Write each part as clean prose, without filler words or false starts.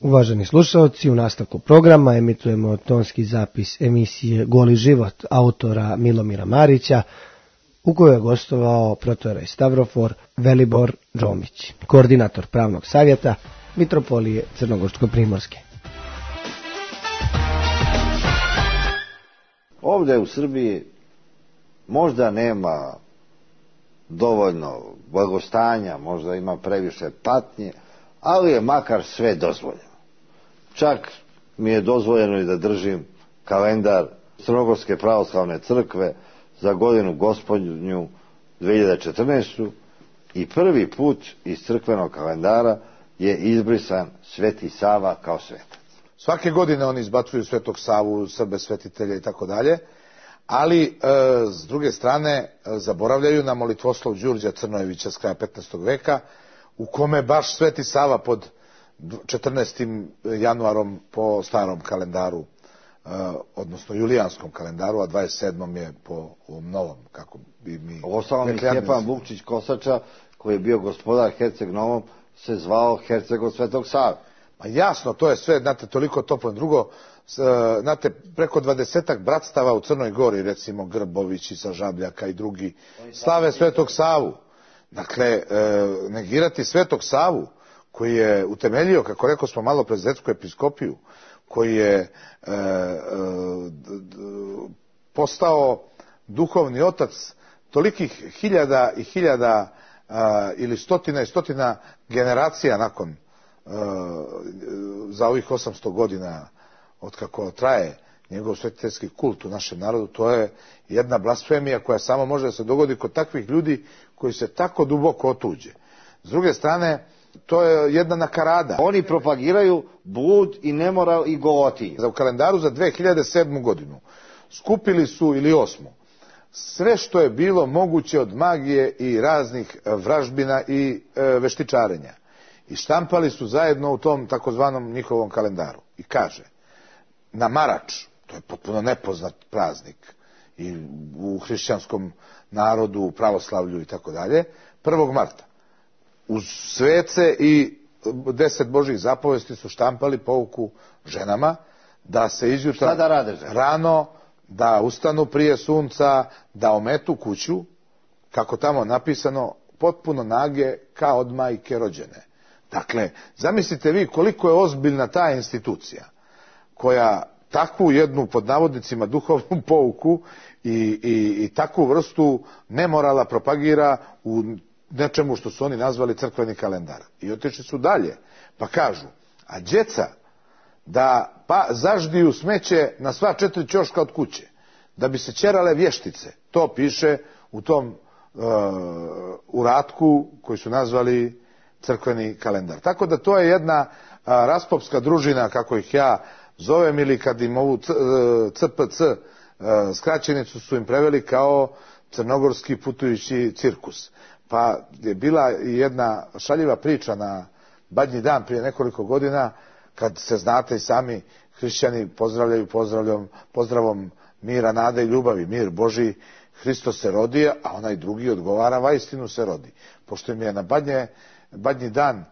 Uvaženi slušalci, u nastavku programa emitujemo tonski zapis emisije Goli život autora Milomira Marića, u kojoj je gostovao protojerej Stavrofor Velibor Džomić, koordinator pravnog savjeta Mitropolije Crnogorsko-primorske. Ovdje u Srbiji možda nema dovoljno blagostanja, možda ima previše patnje, ali je makar sve dozvoljeno. Čak mi je dozvoljeno i da držim kalendar Crnogorske pravoslavne crkve za godinu gospodnju 2014. i prvi put iz crkvenog kalendara je izbrisan Sveti Sava kao svetac. Svake godine oni izbacuju Svetog Savu, Srbe svetitelje i tako dalje, ali s druge strane zaboravljaju na molitvoslov Đurđa Crnojevića s kraja 15. veka, u kome baš Sveti Sava pod 14. januarom po starom kalendaru, odnosno julijanskom kalendaru, a 27. je po ovom novom, kako bi mi... Ostalom Stjepan Vukčić Kosača, koji je bio gospodar Herceg Novom, se zvao Herceg od Svetog Save. Ma jasno, to je sve, znate, toliko toplo. Drugo, znate, preko 20 bratstava u Crnoj Gori, recimo Grbović i Sažabljaka i drugi, slave Svetog Savu. Dakle, negirati Svetog Savu, koji je utemeljio, kako rekao smo malo pre, Zetsku episkopiju, koji je postao duhovni otac tolikih hiljada i hiljada ili stotina i stotina generacija nakon za ovih 800 godina od kako traje njegov svetiteljski kult u našem narodu, to je jedna blasfemija koja samo može da se dogodi kod takvih ljudi koji se tako duboko otuđe. S druge strane, to je jedna nakarada. Oni propagiraju blud i nemoral i golotinju. U kalendaru za 2007. godinu skupili su, ili 8. sve što je bilo moguće od magije i raznih vražbina i veštičarenja. I štampali su zajedno u tom takozvanom njihovom kalendaru. I kaže, na Marač, to je potpuno nepoznat praznik i u hrišćanskom narodu, u pravoslavlju i tako dalje, 1. marta. Uz svece i 10 Božjih zapovesti su štampali pouku ženama da se izjutra da rade žene? Rano, da ustanu prije sunca, da ometu kuću, kako tamo napisano, potpuno nage kao od majke rođene. Dakle, zamislite vi koliko je ozbiljna ta institucija koja takvu jednu, pod navodnicima, duhovnu pouku i takvu vrstu nemorala propagira u nečemu što su oni nazvali crkveni kalendar. I otišli su dalje, pa kažu, a djeca da zaždiju smeće na sva 4 ćoška od kuće, da bi se ćerale vještice. To piše u tom uratku koji su nazvali crkveni kalendar. Tako da to je jedna raspopska družina, kako ih ja zovem, ili kad im ovu CPC skraćenicu su im preveli kao crnogorski putujući cirkus. Pa je bila jedna šaljiva priča na Badnji dan prije nekoliko godina, kad se, znate i sami, hrišćani pozdravljaju pozdravom mira, nade i ljubavi. Mir Božji, Hristos se rodi, a onaj drugi odgovara, vaistinu se rodi. Pošto im je na Badnji dan,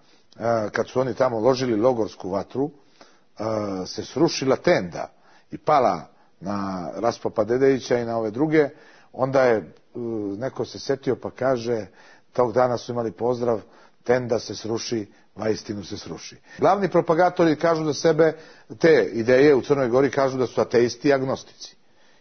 kad su oni tamo ložili logorsku vatru, se srušila tenda i pala na Raspopa Dedejića i na ove druge, onda je neko se setio pa kaže, tog dana su imali pozdrav, tenda se sruši, vaistinu se sruši. Glavni propagatori kažu za sebe, te ideje u Crnoj Gori kažu da su ateisti i agnostici.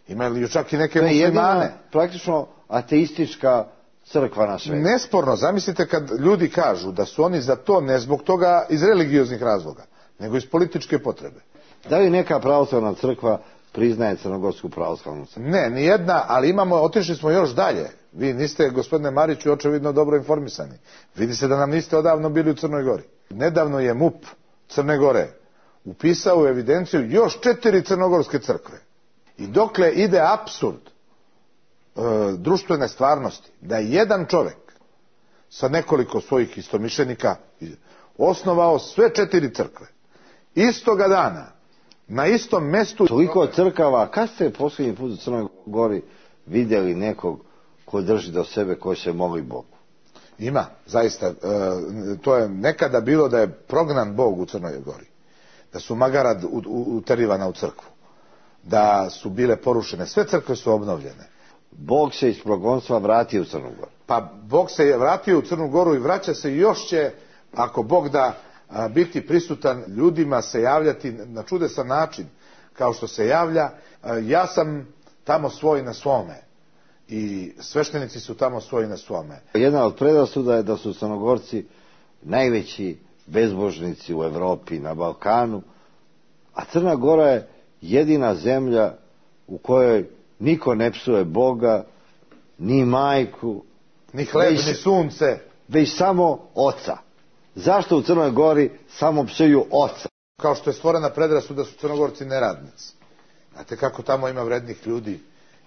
Imaju čak i neke muslimane. Praktično ateistička crkva na svetu. Nesporno, zamislite kad ljudi kažu da su oni za to ne zbog toga iz religioznih razloga, nego iz političke potrebe. Da li neka pravoslavna crkva priznaje Crnogorsku pravoslavnu crkvu? Ne, nijedna, ali otišli smo još dalje. Vi niste, gospodine Mariću, očevidno dobro informisani. Vidi se da nam niste odavno bili u Crnoj Gori. Nedavno je MUP Crne Gore upisao u evidenciju još 4 crnogorske crkve. I dokle ide apsurd društvene stvarnosti, da je jedan čovjek sa nekoliko svojih istomišljenika osnovao sve 4 crkve. Istoga dana, na istom mestu... Toliko crkava, kad ste posljednji put u Crnoj Gori vidjeli nekog ko drži do sebe, koji se moli Bogu? Ima, zaista. To je nekada bilo da je prognan Bog u Crnoj Gori. da su magara uterivana u crkvu, da su bile porušene, sve crkve su obnovljene. Bog se iz progonstva vratio u Crnu Goru. Pa Bog se je vratio u Crnu Goru i vraća se i još će, ako Bog da, biti prisutan ljudima, se javljati na čudesan način, kao što se javlja. Ja sam tamo svoj na svome i sveštenici su tamo svoji na svome. Jedna od predrasuda je da su Crnogorci najveći bezbožnici u Evropi, na Balkanu, a Crna Gora je jedina zemlja u kojoj niko ne psuje Boga, ni majku, ni hleb, ni sunce, već samo oca. Zašto u Crnoj Gori samo psuju oca? Kao što je stvorena predrasuda da su Crnogorci neradnici. Znate kako tamo ima vrednih ljudi,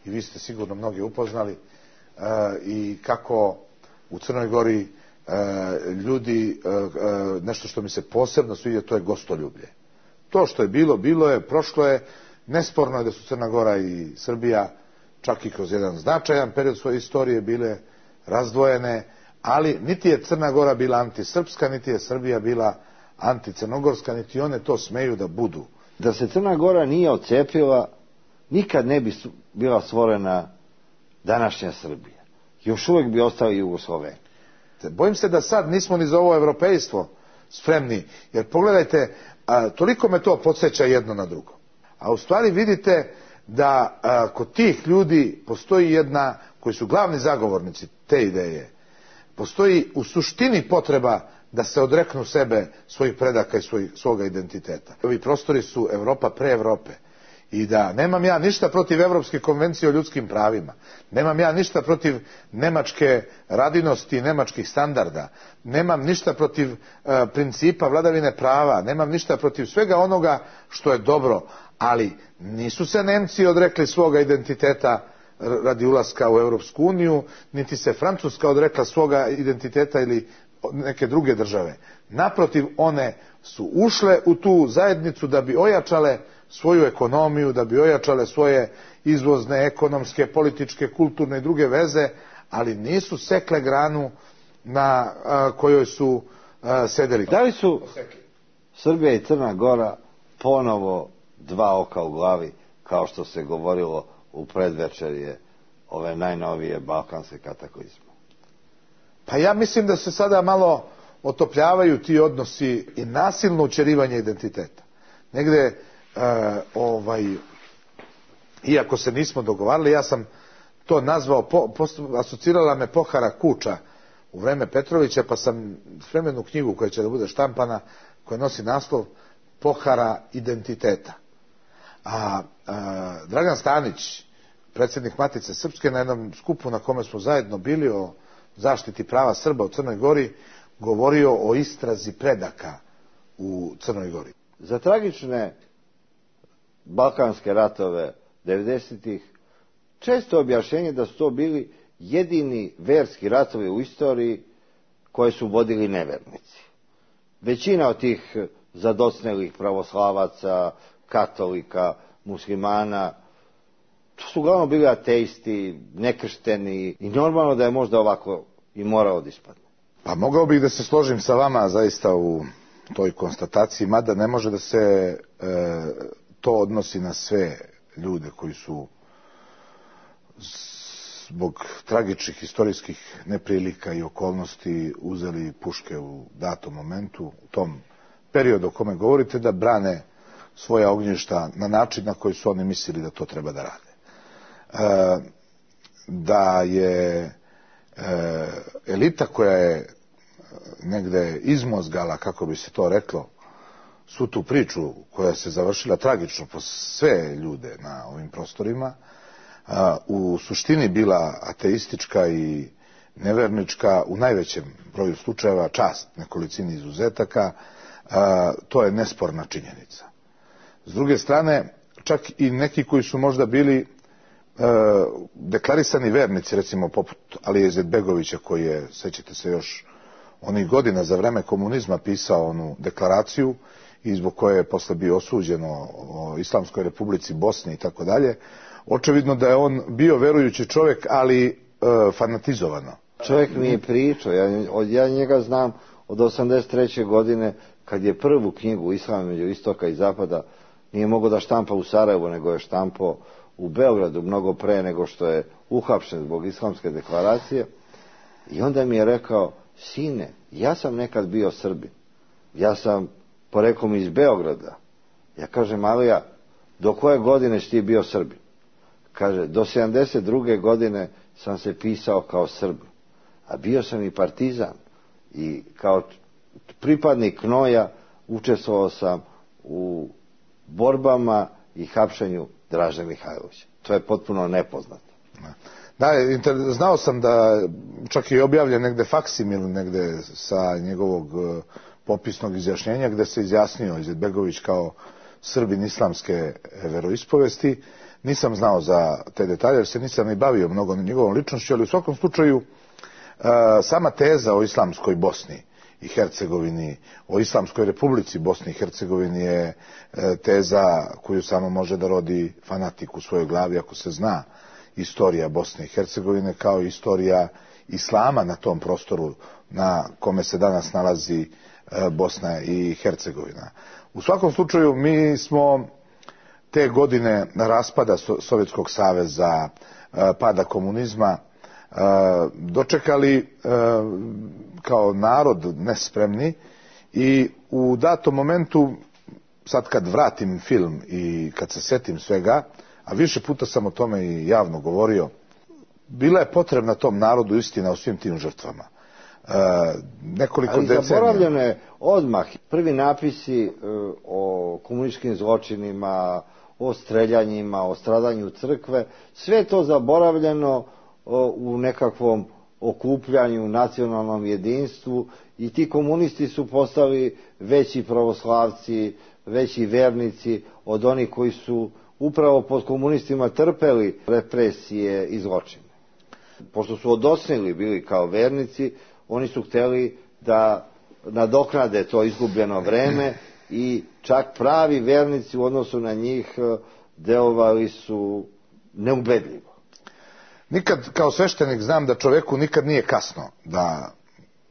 i vi ste sigurno mnogi upoznali, i kako u Crnoj Gori ljudi, nešto što mi se posebno sviđa, to je gostoljublje. To što je bilo, bilo je, prošlo je. Nesporno je da su Crna Gora i Srbija čak i kroz jedan značajan period svoje istorije bile razdvojene, ali niti je Crna Gora bila antisrpska, niti je Srbija bila anticrnogorska, niti one to smeju da budu. Da se Crna Gora nije odcepila, nikad ne bi bila stvorena današnja Srbija. Još uvijek bi ostali Jugosloveni. Bojim se da sad nismo ni za ovo evropejstvo spremni, jer pogledajte, toliko me to podsjeća jedno na drugo. A u stvari vidite da kod tih ljudi postoji jedna, koji su glavni zagovornici te ideje, postoji u suštini potreba da se odreknu sebe, svojih predaka i svoga identiteta. Ovi prostori su Evropa pre Evrope. I da nemam ja ništa protiv Evropske konvencije o ljudskim pravima, nemam ja ništa protiv nemačke radinosti i nemačkih standarda, nemam ništa protiv principa vladavine prava, nemam ništa protiv svega onoga što je dobro, ali nisu se Nemci odrekli svoga identiteta radi ulaska u Europsku uniju, niti se Francuska odrekla svoga identiteta ili neke druge države. Naprotiv, one su ušle u tu zajednicu da bi ojačale svoju ekonomiju, da bi ojačale svoje izvozne, ekonomske, političke, kulturne i druge veze, ali nisu sekle granu na kojoj su sedeli. Da li su Srbija i Crna Gora ponovo dva oka u glavi, kao što se govorilo u predvečerje ove najnovije balkanske kataklizme? Pa ja mislim da se sada malo otopljavaju ti odnosi i nasilno učerivanje identiteta. Negde, iako se nismo dogovarali, ja sam to nazvao, asocirala me pohara Kuča u vreme Petrovića, pa sam spremenu knjigu koja će da bude štampana, koja nosi naslov Pohara identiteta. A Dragan Stanić, predsjednik Matice Srpske, na jednom skupu na kome smo zajedno bili o zaštiti prava Srba u Crnoj Gori, govorio o istrazi predaka u Crnoj Gori. Za tragične balkanske ratove 90-ih često objašnjenje da su to bili jedini verski ratovi u istoriji koje su vodili nevernici. Većina od tih zadocnelih pravoslavaca, katolika, muslimana, to su uglavnom bili ateisti, nekršteni, i normalno da je možda ovako i moralo da ispadne. Pa mogao bih da se složim sa vama zaista u toj konstataciji, mada ne može da se to odnosi na sve ljude koji su zbog tragičnih historijskih neprilika i okolnosti uzeli puške u datom momentu, u tom periodu o kome govorite, da brane svoja ognjišta na način na koji su oni mislili da to treba da rade. Da je elita koja je negde izmozgala, kako bi se to reklo, svu tu priču koja se završila tragično po sve ljude na ovim prostorima, u suštini bila ateistička i nevernička u najvećem broju slučajeva, čast nekolicini izuzetaka, to je nesporna činjenica. S druge strane, čak i neki koji su možda bili deklarisani vernici, recimo poput Alije Izetbegovića, koji je, sećate se još onih godina za vreme komunizma, pisao onu deklaraciju i zbog koje je posle bio osuđen o Islamskoj republici Bosni i tako dalje. Očevidno da je on bio verujući čovjek, ali fanatizovano. Čovjek mi je pričao, ja njega znam od 83. godine kad je prvu knjigu Islam među istoka i zapada nije mogao da štampa u Sarajevu, nego je štampao u Beogradu mnogo pre nego što je uhapšen zbog islamske deklaracije. I onda mi je rekao, sine, ja sam nekad bio Srbin, ja sam poreklom iz Beograda. Ja kažem, Alija, do koje godine si ti bio Srbin? Kaže, do 72. godine sam se pisao kao Srbin, a bio sam i partizan i kao pripadnik Knoja učestvovao sam u borbama i hapšenju Draže Mihajlovića. To je potpuno nepoznato. Da, znao sam da čak i objavljen negde faksimil negde sa njegovog popisnog izjašnjenja gde se izjasnio Izetbegović kao Srbin islamske veroispovesti. Nisam znao za te detalje jer se nisam ni bavio mnogo njegovom ličnošću, ali u svakom slučaju sama teza o islamskoj Bosni i Hercegovini, o Islamskoj republici Bosni i Hercegovini je teza koju samo može da rodi fanatik u svojoj glavi ako se zna istorija Bosne i Hercegovine kao istorija islama na tom prostoru na kome se danas nalazi Bosna i Hercegovina. U svakom slučaju mi smo te godine raspada Sovjetskog saveza, pada komunizma, dočekali kao narod nespremni i u datom momentu, sad kad vratim film i kad se setim svega, a više puta sam o tome i javno govorio, bila je potrebna tom narodu istina o svim tim žrtvama. Nekoliko decenija. Ali zaboravljeno je odmah prvi napisi o komunističkim zločinima, o streljanjima, o stradanju crkve, sve je to zaboravljeno u nekakvom okupljanju, nacionalnom jedinstvu i ti komunisti su postali veći pravoslavci, veći vernici od onih koji su upravo pod komunistima trpeli represije i zločine. Pošto su odosnili bili kao vernici, oni su hteli da nadoknade to izgubljeno vreme i čak pravi vernici u odnosu na njih delovali su neubedljivo. Nikad kao sveštenik znam da čoveku nikad nije kasno da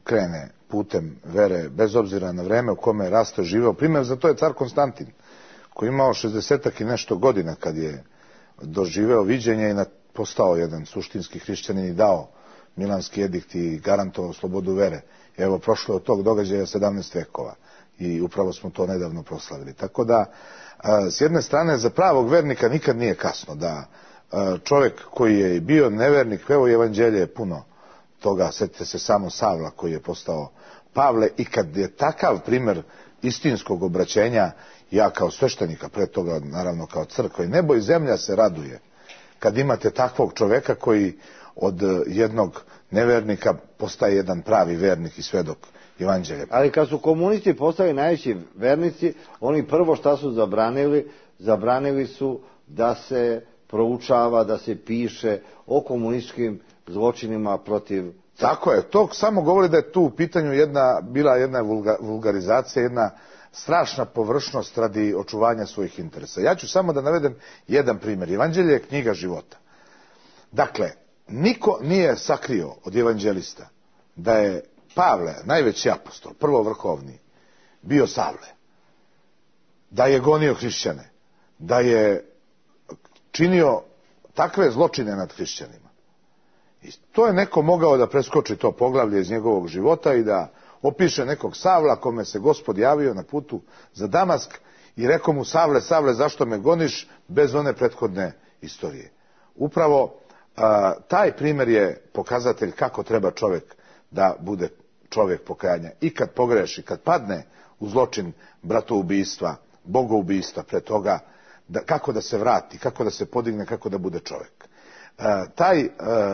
krene putem vere, bez obzira na vreme u kome je rastao i živeo. Primjer za to je car Konstantin, koji je imao 60 i nešto godina kad je doživeo viđenje i postao jedan suštinski hrišćanin i dao Milanski edikt i garantovao slobodu vere. Evo, prošlo je od tog događaja 17 vekova i upravo smo to nedavno proslavili. Tako da, s jedne strane, za pravog vernika nikad nije kasno da čovjek koji je bio nevernik, evo i evanđelje je puno toga, sjetite se samo Savla koji je postao Pavle i kad je takav primjer istinskog obraćenja, ja kao sveštenika, pre toga naravno kao crkva i nebo i zemlja se raduje kad imate takvog čoveka koji od jednog nevernika postaje jedan pravi vernik i svedok evanđelja. Ali kad su komunisti postali najveći vernici, oni prvo šta su zabranili? Zabranili su da se proučava, da se piše o komunističkim zločinima protiv... Tako je, to samo govori da je tu u pitanju bila jedna vulgarizacija, jedna strašna površnost radi očuvanja svojih interesa. Ja ću samo da navedem jedan primjer. Evanđelje je knjiga života. Dakle, niko nije sakrio od evanđelista da je Pavle, najveći apostol, prvo vrhovni, bio Savle, da je gonio hrišćane, da je činio takve zločine nad hrišćanima. I to je neko mogao da preskoči to poglavlje iz njegovog života i da opiše nekog Savla kome se Gospod javio na putu za Damask i rekao mu: Savle, Savle, zašto me goniš, bez one prethodne istorije. Upravo taj primjer je pokazatelj kako treba čovjek da bude čovjek pokajanja. I kad pogreši, kad padne u zločin bratoubistva, bogoubistva, pre toga, kako da se vrati, kako da se podigne, kako da bude čovjek. Taj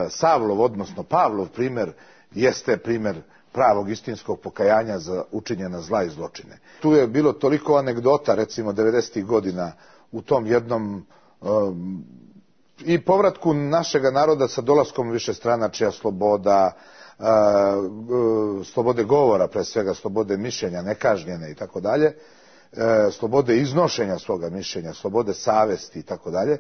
Savlov, odnosno Pavlov primjer jeste primjer pravog istinskog pokajanja za učinjena zla i zločine. Tu je bilo toliko anegdota, recimo 90. godina, u tom jednom i povratku našega naroda sa dolaskom višestranačja, sloboda, slobode govora, pre svega slobode mišljenja, nekažnjene i tako dalje. slobode iznošenja svoga mišljenja, slobode savesti i tako dalje.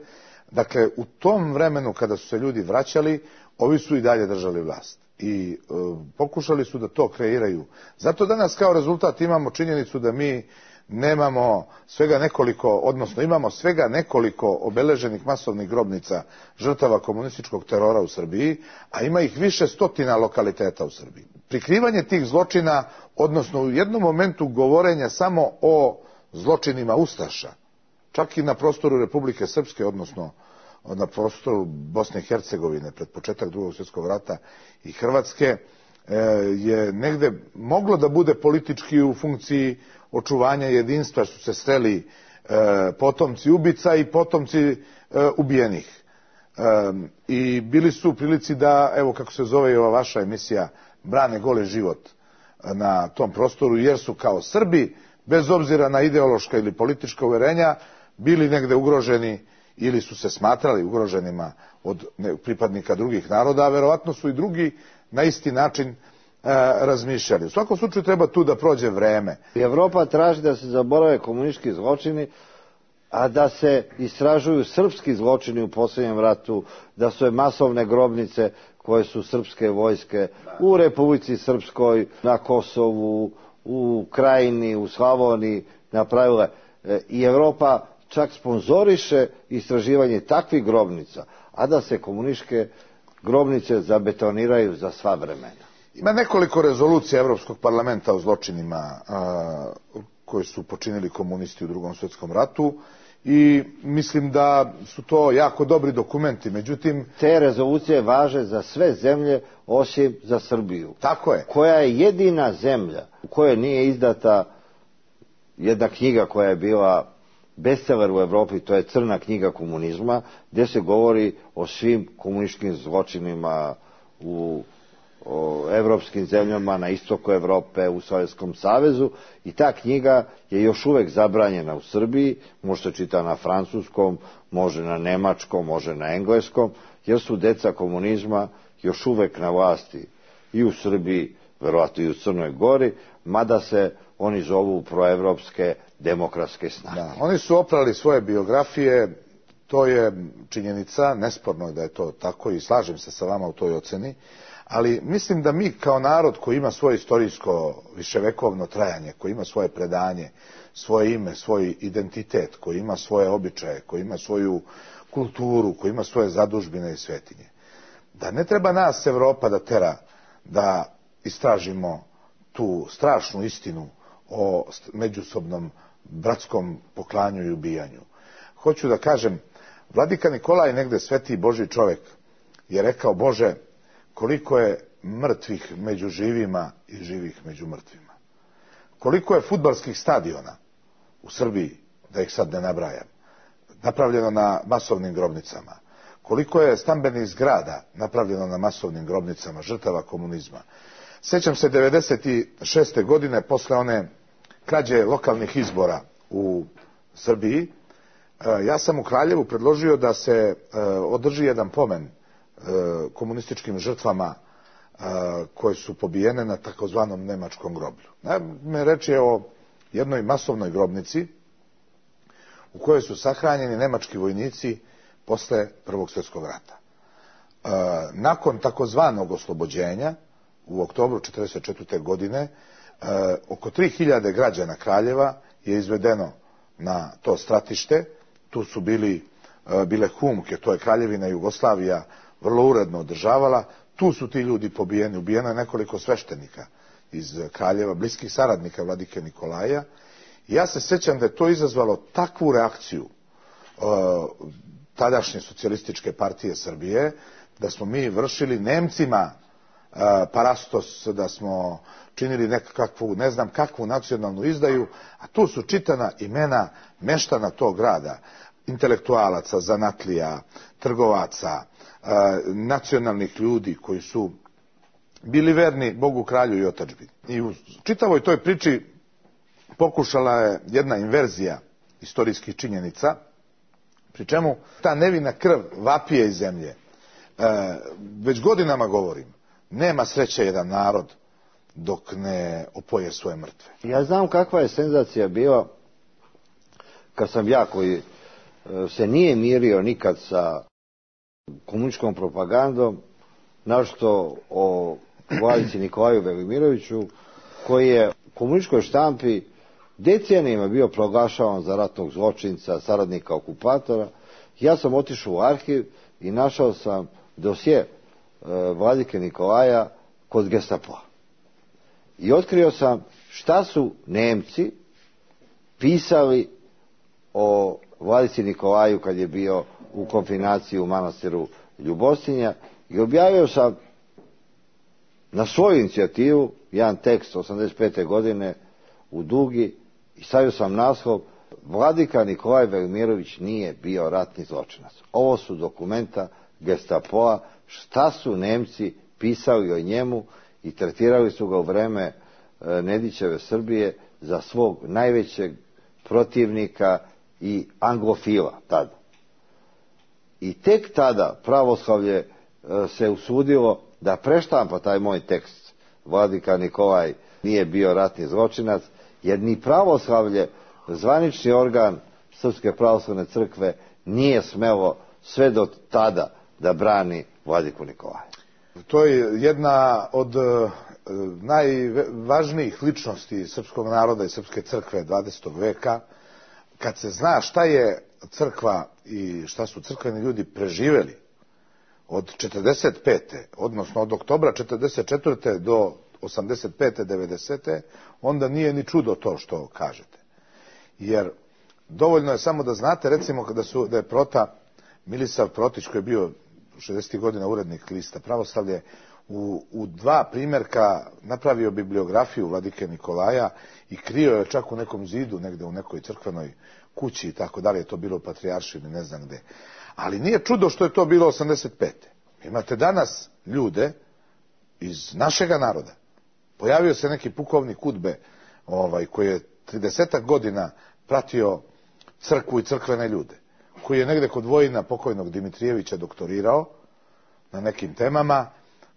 Dakle, u tom vremenu kada su se ljudi vraćali, ovi su i dalje držali vlast i pokušali su da to kreiraju. Zato danas kao rezultat imamo činjenicu da mi nemamo svega nekoliko, odnosno imamo svega nekoliko obeleženih masovnih grobnica žrtava komunističkog terora u Srbiji, a ima ih više stotina lokaliteta u Srbiji. Prikrivanje tih zločina, odnosno u jednom momentu govorenja samo o zločinima ustaša, čak i na prostoru Republike Srpske, odnosno na prostoru Bosne i Hercegovine pred početak Drugog svjetskog rata i Hrvatske, je negde moglo da bude politički u funkciji očuvanja jedinstva, su se sreli potomci ubica i potomci ubijenih. I bili su u prilici da, evo kako se zove i ova vaša emisija, brane goli život na tom prostoru, jer su kao Srbi, bez obzira na ideološka ili politička uverenja, bili negde ugroženi ili su se smatrali ugroženima od pripadnika drugih naroda, a verovatno su i drugi na isti način razmišljali. U svakom slučaju treba tu da prođe vreme. Evropa traži da se zaborave komunistički zločini, a da se istražuju srpski zločini u posljednjem ratu, da su masovne grobnice koje su srpske vojske u Republici Srpskoj, na Kosovu, u Krajini, u Slavoniji napravile. I Evropa čak sponzoriše istraživanje takvih grobnica, a da se komunističke grobnice zabetoniraju za sva vremena. Ima nekoliko rezolucija Evropskog parlamenta o zločinima koje su počinili komunisti u Drugom svjetskom ratu i mislim da su to jako dobri dokumenti. Međutim, te rezolucije važe za sve zemlje osim za Srbiju. Tako je. Koja je jedina zemlja u kojoj nije izdata jedna knjiga koja je bila bestseller u Evropi, to je Crna knjiga komunizma, gdje se govori o svim komunističkim zločinima u evropskim zemljama na istoku Evrope, u Sovjetskom savezu, i ta knjiga je još uvek zabranjena u Srbiji, može se čita na francuskom, može na nemačkom, može na engleskom, jer su deca komunizma još uvek na vlasti i u Srbiji, verovatno i u Crnoj Gori, mada se oni zovu proevropske demokratske snage. Da, oni su oprali svoje biografije, to je činjenica, nesporno je da je to tako i slažem se sa vama u toj oceni, ali mislim da mi kao narod koji ima svoje istorijsko viševekovno trajanje, koji ima svoje predanje, svoje ime, svoj identitet, koji ima svoje običaje, koji ima svoju kulturu, koji ima svoje zadužbine i svetinje, da ne treba nas Evropa da tera da istražimo tu strašnu istinu o međusobnom bratskom poklanju i ubijanju. Hoću da kažem, vladika Nikolaj, negde sveti Božji čovjek, je rekao: Bože, koliko je mrtvih među živima i živih među mrtvima. Koliko je fudbalskih stadiona u Srbiji, da ih sad ne nabrajam, napravljeno na masovnim grobnicama. Koliko je stambenih zgrada napravljeno na masovnim grobnicama žrtava komunizma. Sjećam se 1996. godine, posle one krađe lokalnih izbora u Srbiji, ja sam u Kraljevu predložio da se održi jedan pomen komunističkim žrtvama koje su pobijene na takozvanom nemačkom groblju. Naime, reč je o jednoj masovnoj grobnici u kojoj su sahranjeni nemački vojnici posle Prvog svjetskog rata. Nakon takozvanog oslobođenja u oktobru 1944. godine oko 3000 građana Kraljeva je izvedeno na to stratište. Tu su bile Humke, to je Kraljevina Jugoslavija vrlo uredno održavala. Tu su ti ljudi pobijeni. Ubijeno je nekoliko sveštenika iz Kraljeva, bliskih saradnika vladike Nikolaja. I ja se sjećam da je to izazvalo takvu reakciju tadašnje socijalističke partije Srbije, da smo mi vršili Nemcima parastos, da smo činili nekakvu, ne znam kakvu nacionalnu izdaju, a tu su čitana imena meštana tog grada, intelektualaca, zanatlija, trgovaca, nacionalnih ljudi koji su bili verni Bogu, kralju i otadžbini. I u čitavoj toj priči pokušala je jedna inverzija istorijskih činjenica, pri čemu ta nevina krv vapije iz zemlje. Već godinama govorim, nema sreće jedan narod dok ne opoje svoje mrtve. Ja znam kakva je senzacija bila kad sam ja koji se nije mirio nikad sa komunističkom propagandom, našto o Vladici Nikolaju Velimiroviću, koji je u komunističkoj štampi decenijima bio proglašavan za ratnog zločinca, saradnika okupatora. Ja sam otišao u arhiv i našao sam dosje Vladike Nikolaja kod Gestapoa. I otkrio sam šta su Nemci pisali o Vladici Nikolaju kad je bio u konfinaciji u manastiru Ljubostinja, i objavio sam na svoju inicijativu jedan tekst 85. godine u Dugi i stavio sam naslov: Vladika Nikolaj Velimirović nije bio ratni zločinac. Ovo su dokumenta Gestapoa, šta su Nemci pisali o njemu, i tretirali su ga u vreme Nedićeve Srbije za svog najvećeg protivnika i anglofila tada. I tek tada pravoslavlje se usudilo da preštampa taj moj tekst: Vladika Nikolaj nije bio ratni zločinac, jer ni pravoslavlje, zvanični organ Srpske pravoslavne crkve, nije smelo sve do tada da brani Vladiku Nikolaja. To je jedna od najvažnijih ličnosti srpskog naroda i srpske crkve 20. veka. Kad se zna šta je crkva i šta su crkveni ljudi preživeli od 45. odnosno od oktobra 44. do 85. 90. onda nije ni čudo to što kažete. Jer dovoljno je samo da znate, recimo, da je Prota, Milisav Protić, koji je bio 60. godina urednik lista Pravoslavlje, u dva primjerka napravio bibliografiju Vladike Nikolaja i krio je čak u nekom zidu, negde u nekoj crkvenoj kući i tako dalje, je to bilo u Patrijaršini, ne znam gde. Ali nije čudo što je to bilo 85. Imate danas ljude iz našega naroda. Pojavio se neki pukovnik UDBE, koji je 30 godina pratio crkvu i crkvene ljude, koji je negde kod Vojina pokojnog Dimitrijevića doktorirao na nekim temama,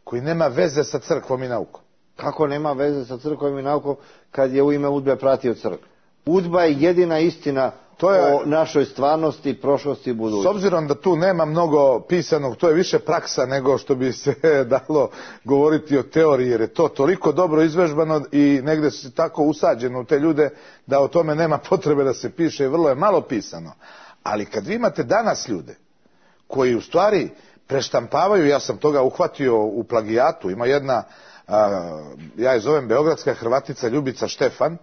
koji nema veze sa crkvom i naukom. Kako nema veze sa crkvom i naukom kad je u ime UDBE pratio crkvu? UDBA je jedina istina o našoj stvarnosti, prošlosti i budućnosti. S obzirom da tu nema mnogo pisanog, to je više praksa nego što bi se dalo govoriti o teoriji, jer je to toliko dobro izvežbano i negde se tako usađeno u te ljude da o tome nema potrebe da se piše i vrlo je malo pisano. Ali kad vi imate danas ljude koji u stvari preštampavaju, ja sam toga uhvatio u plagijatu, ima jedna, ja je zovem beogradska Hrvatica Ljubica Štefan,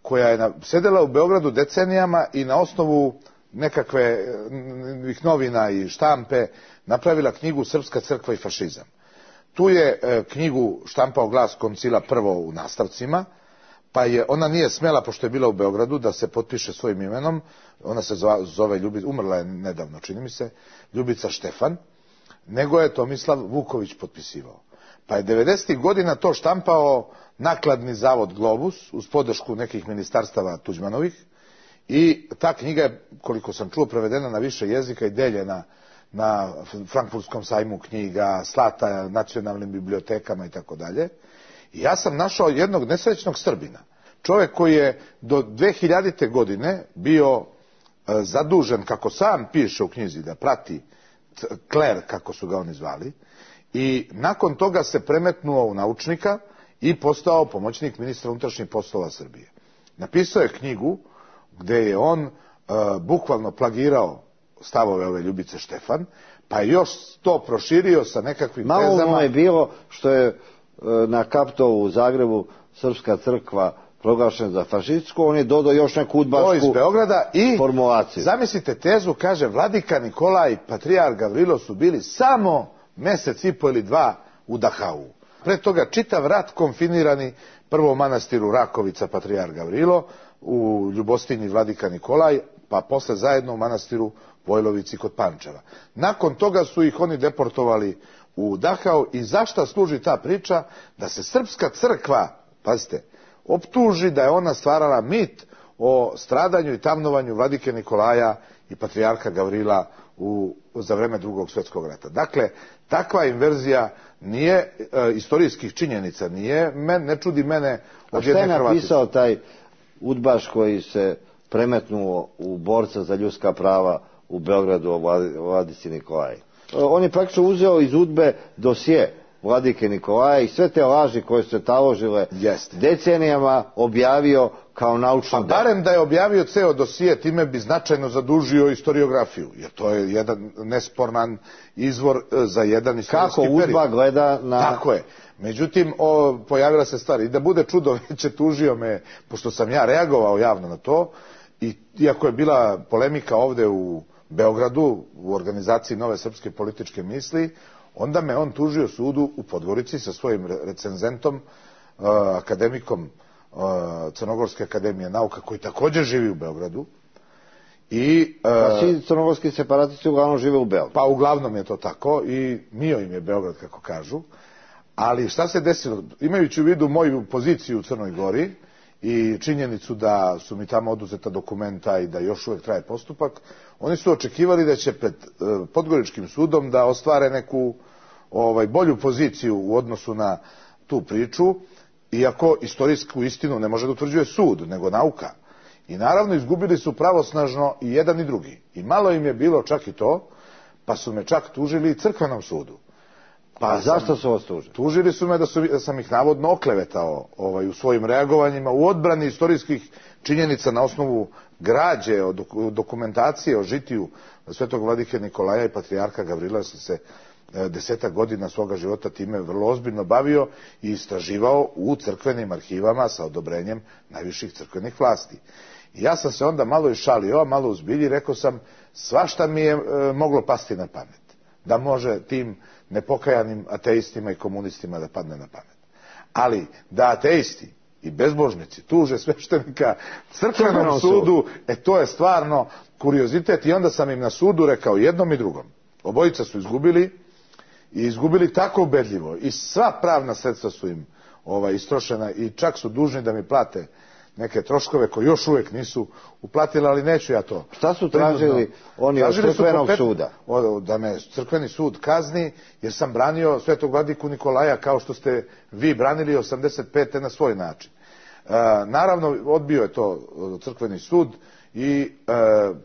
koja je sedela u Beogradu decenijama i na osnovu nekakvih novina i štampe napravila knjigu Srpska crkva i fašizam. Tu je knjigu štampao Glas Koncila prvo u nastavcima, pa je ona nije smela, pošto je bila u Beogradu, da se potpiše svojim imenom. Ona se zove Ljubica, umrla je nedavno, čini mi se, Ljubica Štefan, nego je Tomislav Vuković potpisivao. Pa je 90. godina to štampao nakladni zavod Globus uz podršku nekih ministarstava Tuđmanovih, i ta knjiga je, koliko sam čuo, prevedena na više jezika i deljena na Frankfurtskom sajmu knjiga, slata nacionalnim bibliotekama i tako dalje. I ja sam našao jednog nesrećnog Srbina, čovjek koji je do 2000. godine bio zadužen, kako sam piše u knjizi, da prati kler, kako su ga oni zvali, i nakon toga se premetnuo u naučnika i postao pomoćnik ministra unutrašnjih poslova Srbije. Napisao je knjigu gde je on bukvalno plagirao stavove ove Ljubice Štefan, pa je još to proširio sa nekakvim tezama. Malo je bilo što je na Kaptolu u Zagrebu Srpska crkva proglašena za fašističku, on je dodao još neku udbašku formulaciju. Zamislite tezu, kaže, Vladika Nikolaj i patrijarh Gavrilo su bili samo mesec i po ili dva u Dahau. Pre toga čitav rat konfinirani, prvo u manastiru Rakovica patrijarh Gavrilo, u Ljubostinji Vladika Nikolaj, pa posle zajedno u manastiru Vojlovici kod Pančeva. Nakon toga su ih oni deportovali u Dahau. I zašta služi ta priča? Da se Srpska crkva, pazite, optuži da je ona stvarala mit o stradanju i tamnovanju Vladike Nikolaja i patrijarha Gavrila za vreme Drugog svjetskog rata. Dakle, takva inverzija nije istorijskih činjenica, nije, ne čudi mene od jedne Hrvatice. Šta je napisao taj udbaš koji se premetnuo u borca za ljudska prava u Beogradu o vladici Nikolaji. On je praktično uzeo iz UDBE dosje vladike Nikolaja i sve te laži koje su se taložile decenijama objavio kao naučno delo. Barem da je objavio ceo dosije, time bi značajno zadužio historiografiju, jer to je jedan nesporan izvor za jedan istorijski period. Kako UDBA gleda na... Tako je. Međutim, pojavila se stvar. I da bude čudo veće, tužio me, pošto sam ja reagovao javno na to, i iako je bila polemika ovde u Beogradu, u organizaciji Nove srpske političke misli, onda me on tužio sudu u Podgorici sa svojim recenzentom, akademikom Crnogorske akademije nauka, koji također živi u Beogradu. Pa svi crnogorski separatisti uglavnom žive u Beogradu. Pa uglavnom je to tako i mio im je Beograd, kako kažu. Ali šta se desilo? Imajući u vidu moju poziciju u Crnoj Gori i činjenicu da su mi tamo oduzeta dokumenta i da još uvijek traje postupak, oni su očekivali da će pred Podgoričkim sudom da ostvare neku bolju poziciju u odnosu na tu priču, iako istorijsku istinu ne može da utvrđuje sud, nego nauka. I naravno izgubili su pravosnažno i jedan i drugi. I malo im je bilo čak i to, pa su me čak tužili i crkvenom sudu. Pa zašto su vas tužili? Tužili su me da sam ih navodno oklevetao u svojim reagovanjima u odbrani istorijskih činjenica na osnovu građe, dokumentacije o žitiju svetog vladike Nikolaja i patrijarha Gavrila. Sam se 10 godina svoga života time vrlo ozbiljno bavio i istraživao u crkvenim arhivama sa odobrenjem najviših crkvenih vlasti. I ja sam se onda malo išalio, a malo uzbilji, rekao sam, svašta mi je moglo pasti na pamet. Da može tim nepokajanim ateistima i komunistima da padne na pamet. Ali da ateisti i bezbožnici tuže sveštenika crkvenom sudu, to je stvarno kuriozitet. I onda sam im na sudu rekao jednom i drugom. Obojica su izgubili i izgubili tako ubedljivo i sva pravna sredstva su im istrošena i čak su dužni da mi plate neke troškove koje još uvijek nisu uplatili, ali neću ja to. Šta su tražili oni od crkvenog suda? Da me crkveni sud kazni, jer sam branio svetog vladiku Nikolaja kao što ste vi branili 85. na svoj način. Naravno, odbio je to crkveni sud i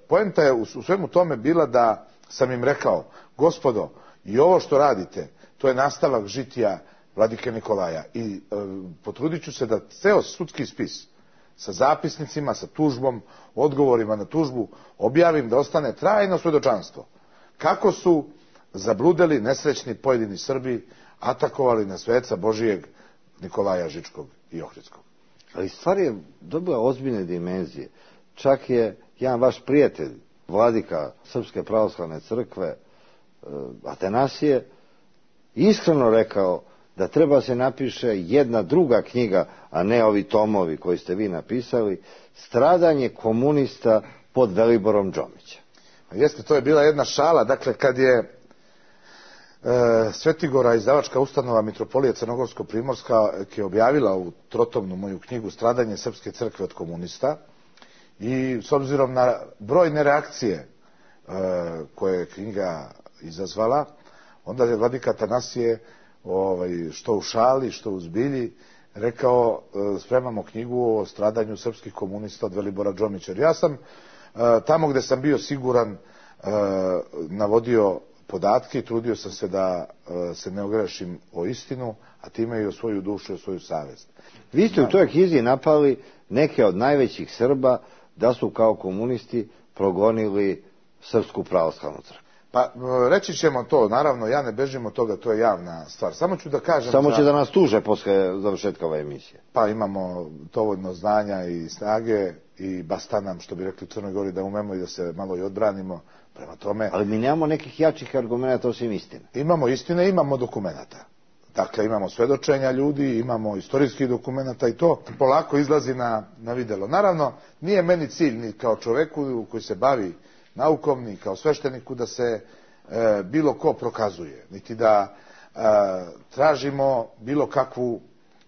poenta je u svemu tome bila da sam im rekao, gospodo, i ovo što radite, to je nastavak žitija vladike Nikolaja i potrudit ću se da ceo sudski spis sa zapisnicima, sa tužbom, odgovorima na tužbu objavim da ostane trajno svedočanstvo. Kako su zabludeli nesrećni pojedini Srbi atakovali na sveca Božijeg Nikolaja Žičkog i Ohridskog. Ali stvar je dobila ozbiljne dimenzije. Čak je jedan vaš prijatelj, vladika Srpske pravoslavne crkve, Atanasije, iskreno rekao da treba se napiše jedna druga knjiga, a ne ovi tomovi koji ste vi napisali, Stradanje komunista pod Veliborom Džomićem. Jeste, to je bila jedna šala. Dakle, kad je Svetigora izdavačka ustanova Mitropolije Crnogorsko-Primorska je objavila u trotomnu moju knjigu Stradanje srpske crkve od komunista, i s obzirom na brojne reakcije koje je knjiga izazvala, onda je vladika Atanasije, što u šali, što u zbilji, rekao, spremamo knjigu o stradanju srpskih komunista od Velibora Džomića. Ja sam tamo gde sam bio siguran navodio podatke i trudio sam se da se ne ogrešim o istinu, a time i o svoju dušu i o svoju savest. Vi ste u toj knjizi napali neke od najvećih Srba da su kao komunisti progonili Srpsku pravoslavnu crkvu. Pa reći ćemo to, naravno, ja ne bežim od toga, to je javna stvar. Samo ću da kažem... Samo će da nas tuže posle završetka ove emisije. Pa imamo dovoljno znanja i snage i basta nam, što bi rekli u Crnoj Gori, da umemo i da se malo i odbranimo. Prema tome... Ali mi nemamo nekih jačih argumenta osim istine. Imamo istine, imamo dokumenta. Dakle, imamo svedočenja ljudi, imamo istorijskih dokumenta i to polako izlazi na videlo. Naravno, nije meni cilj ni kao čoveku koji se bavi naukom, ni kao svešteniku da se bilo ko prokazuje, niti da tražimo bilo kakvu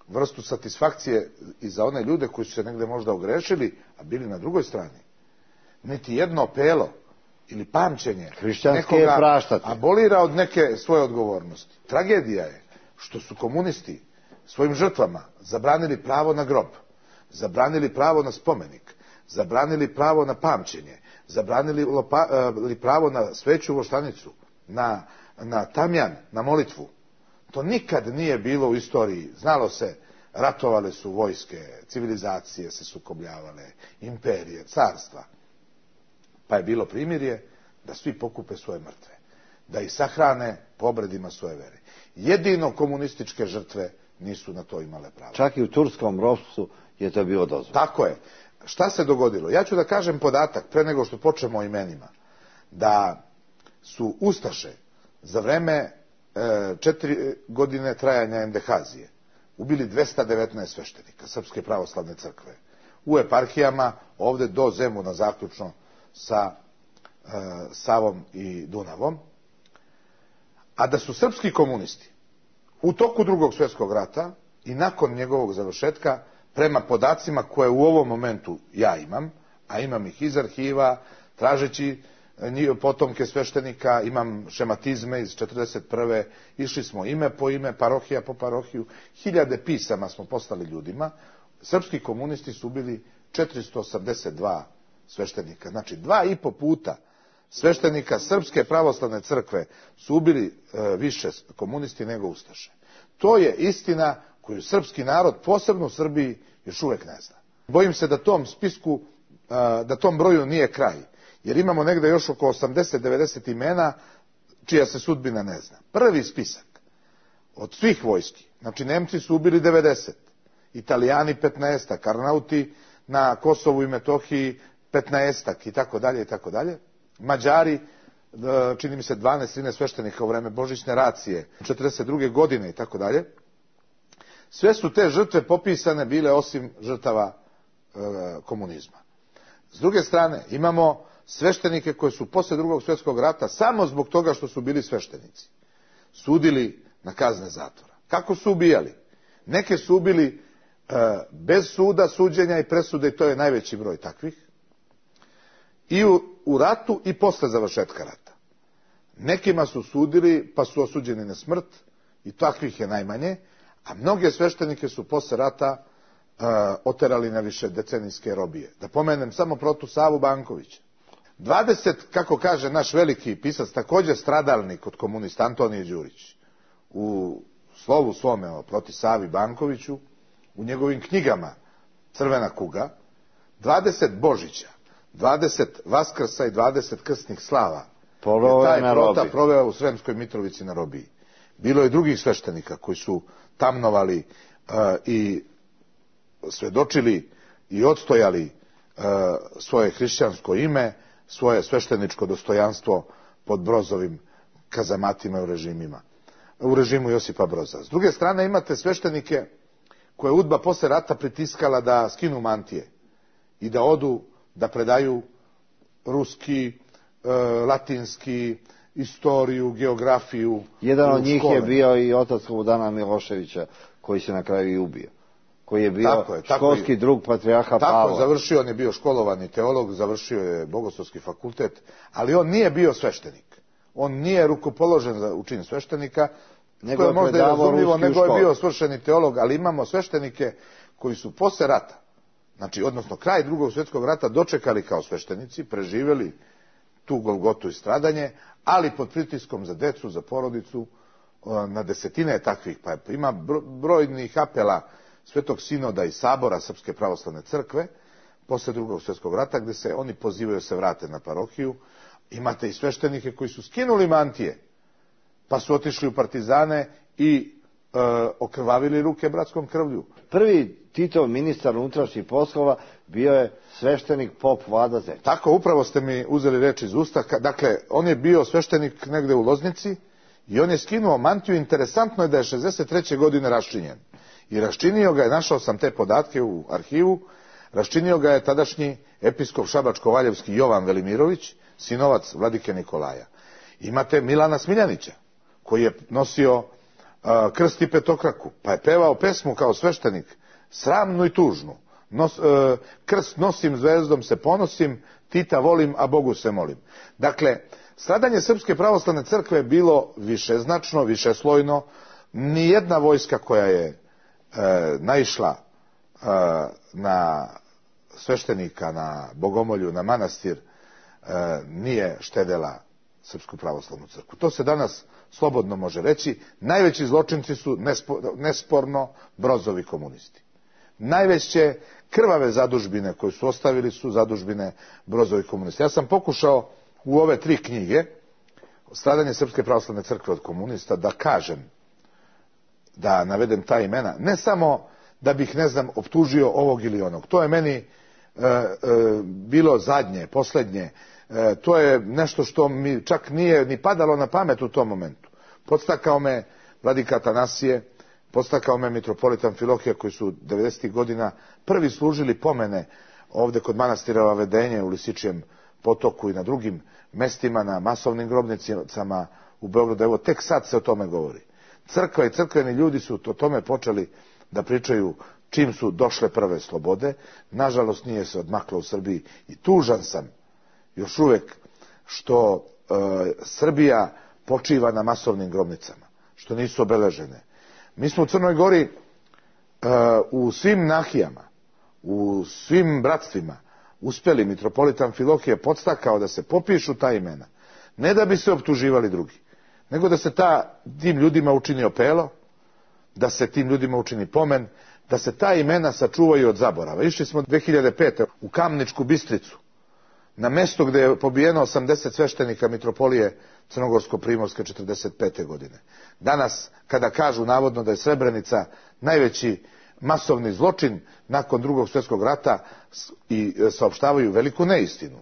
vrstu satisfakcije i za one ljude koji su se negde možda ogrešili, a bili na drugoj strani. Niti jedno pelo ili pamćenje nekoga abolira od neke svoje odgovornosti. Tragedija je što su komunisti svojim žrtvama zabranili pravo na grob, zabranili pravo na spomenik, zabranili pravo na pamćenje, zabranili pravo na sveću voštanicu, na tamjan, na molitvu. To nikad nije bilo u istoriji. Znalo se, ratovale su vojske, civilizacije se sukobljavale, imperije, carstva. Pa je bilo primirje da svi pokupe svoje mrtve, da ih sahrane po obredima svoje vere. Jedino komunističke žrtve nisu na to imale pravo. Čak i u turskom ropstvu je to bilo dozvoljeno. Tako je. Šta se dogodilo? Ja ću da kažem podatak, pre nego što počnemo o imenima, da su ustaše za vreme 4 godine trajanja endehazije ubili 219 sveštenika Srpske pravoslavne crkve u eparhijama, ovde do Zemuna zaključno sa Savom i Dunavom, a da su srpski komunisti u toku Drugog svjetskog rata i nakon njegovog završetka, prema podacima koje u ovom momentu ja imam, a imam ih iz arhiva, tražeći potomke sveštenika, imam šematizme iz 1941. Išli smo ime po ime, parohija po parohiju, 1000 pisama smo poslali ljudima. Srpski komunisti su ubili 482 sveštenika. Znači 2,5 puta sveštenika Srpske pravoslavne crkve su ubili više komunisti nego ustaše. To je istina koju srpski narod, posebno u Srbiji, još uvek ne zna. Bojim se da tom spisku, da tom broju nije kraj, jer imamo negde još oko 80-90 imena čija se sudbina ne zna. Prvi spisak od svih vojski, znači Nemci su ubili 90, Italijani 15, Karnauti na Kosovu i Metohiji 15 i tako dalje i tako dalje. Mađari, čini mi se 12-13 sveštenika u vreme Božićne racije, 42. godine i tako dalje. Sve su te žrtve popisane bile osim žrtava komunizma. S druge strane, imamo sveštenike koji su posle Drugog svjetskog rata, samo zbog toga što su bili sveštenici, sudili na kazne zatvora. Kako su ubijali? Neke su ubili bez suda, suđenja i presude, i to je najveći broj takvih. I u ratu i posle završetka rata. Nekima su sudili pa su osuđeni na smrt, i takvih je najmanje, a mnoge sveštenike su posle rata oterali na više decenijske robije. Da pomenem samo protu Savu Bankovića. 20, kako kaže naš veliki pisac, također stradalnik od komunista, Antonije Đurić, u slovu svome proti Savi Bankoviću, u njegovim knjigama Crvena kuga, 20 Božića, 20 Vaskrsa i 20 krsnih slava je taj prota proveo u Sremskoj Mitrovici na robiji. Bilo je drugih sveštenika koji su tamnovali i svedočili i odstojali svoje hrišćansko ime, svoje svešteničko dostojanstvo pod Brozovim kazamatima u režimu Josipa Broza. S druge strane imate sveštenike koje je UDBA posle rata pritiskala da skinu mantije i da odu da predaju ruski, latinski, istoriju, geografiju. Jedan od njih je bio i otac Slobodana Miloševića, koji se na kraju i ubio. Koji je bio školski drug patrijarha Pavla. Tako, završio, on je bio školovani teolog, završio je Bogoslovski fakultet, ali on nije bio sveštenik. On nije rukopoložen za učin sveštenika, nego je možda i razumljivo, nego je bio svršeni teolog, ali imamo sveštenike koji su posle rata, znači, odnosno kraj Drugog svjetskog rata, dočekali kao sveštenici, preživjeli tu golgotu i stradanje, ali pod pritiskom za decu, za porodicu, na desetine takvih, pa ima brojnih apela Svetog sinoda i sabora Srpske pravoslavne crkve posle Drugog svjetskog rata, gde se oni pozivaju se vrate na parohiju. Imate i sveštenike koji su skinuli mantije, pa su otišli u partizane i okrvavili ruke bratskom krvlju. Prvi Titov ministar unutrašnjih poslova bio je sveštenik pop Vlada Zec. Tako, upravo ste mi uzeli reč iz usta. Dakle, on je bio sveštenik negde u Loznici i on je skinuo mantiju. Interesantno je da je 63. godine raščinjen. I raščinio ga je, našao sam te podatke u arhivu, raščinio ga je tadašnji episkop Šabačko-Valjevski Jovan Velimirović, sinovac vladike Nikolaja. Imate Milana Smiljanića, koji je nosio krst i petokraku, pa je pevao pesmu kao sveštenik, sramnu i tužnu. Krst nosim, zvezdom se ponosim, Tita volim, a Bogu se molim. Dakle, stradanje Srpske pravoslavne crkve je bilo višeznačno, višeslojno. Nijedna vojska koja je naišla na sveštenika na Bogomolju, na manastir, nije štedela Srpsku pravoslavnu crkvu. To se danas slobodno može reći. Najveći zločinci su nesporno Brozovi komunisti. Najveće krvave zadužbine koje su ostavili su zadužbine Brozovi komunisti. Ja sam pokušao u ove 3 knjige, Stradanje Srpske pravoslavne crkve od komunista, da kažem, da navedem ta imena, ne samo da bih, optužio ovog ili onog. To je meni bilo zadnje, posljednje. To je nešto što mi čak nije ni padalo na pamet u tom momentu. Podstakao me vladika Atanasije, podstakao me mitropolit Amfilohije, koji su 90. godina prvi služili pomene ovdje kod manastira Vavedenje u Lisičijem potoku i na drugim mestima, na masovnim grobnicama u Beogradu. Evo, tek sad se o tome govori. Crkva i crkveni ljudi su o tome počeli da pričaju čim su došle prve slobode. Nažalost, nije se odmaklo u Srbiji i tužan sam još uvijek što Srbija počiva na masovnim grobnicama, što nisu obeležene. Mi smo u Crnoj Gori u svim nahijama, u svim bratstvima uspjeli, mitropolit Amfilohije podstakao da se popišu ta imena. Ne da bi se optuživali drugi, nego da se tim ljudima učini opelo, da se tim ljudima učini pomen, da se ta imena sačuvaju od zaborava. Išli smo 2005. u Kamničku Bistricu, na mesto gdje je pobijeno 80 sveštenika mitropolije Crnogorsko-Primorske 45. godine. Danas, kada kažu navodno da je Srebrenica najveći masovni zločin nakon Drugog svjetskog rata i saopštavaju veliku neistinu.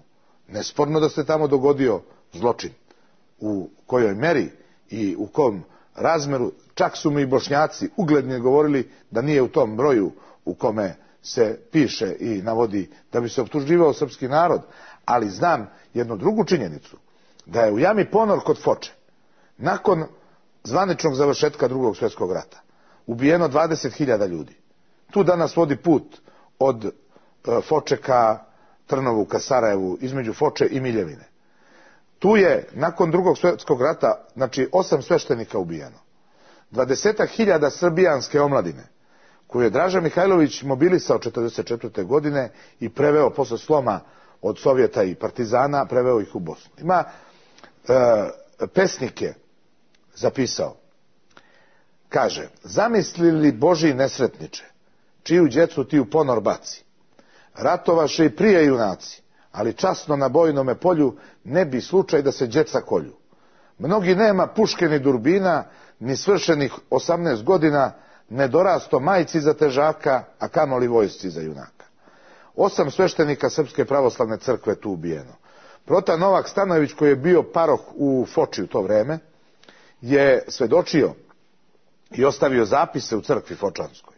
Nesporno da se tamo dogodio zločin. U kojoj meri i u kom razmeru, čak su mi Bošnjaci ugledni govorili da nije u tom broju u kome se piše i navodi da bi se optuživao srpski narod, ali znam jednu drugu činjenicu, da je u jami Ponor kod Foče, nakon zvaničnog završetka Drugog svjetskog rata, ubijeno 20.000 ljudi. Tu danas vodi put od Foče ka Trnovu, ka Sarajevu, između Foče i Miljevine. Tu je, nakon Drugog svjetskog rata, 8 sveštenika ubijeno. 20.000 srbijanske omladine, koju je Draža Mihajlović mobilisao 1944. godine i preveo posle sloma od Sovjeta i partizana, preveo ih u Bosnu. Ima pesnike zapisao. Kaže, zamisli li Boži nesretniče, čiju djecu ti u ponor baci? Ratovaše i prije junaci, ali časno na bojnome polju ne bi slučaj da se djeca kolju. Mnogi nema puške ni durbina, ni svršenih 18 godina, ne dorasto majci za težaka, a kamoli vojsci za junaka. 8 sveštenika Srpske pravoslavne crkve tu ubijeno. Prota Novak Stanojević, koji je bio paroh u Foči u to vreme, je svedočio i ostavio zapise u crkvi Fočanskoj,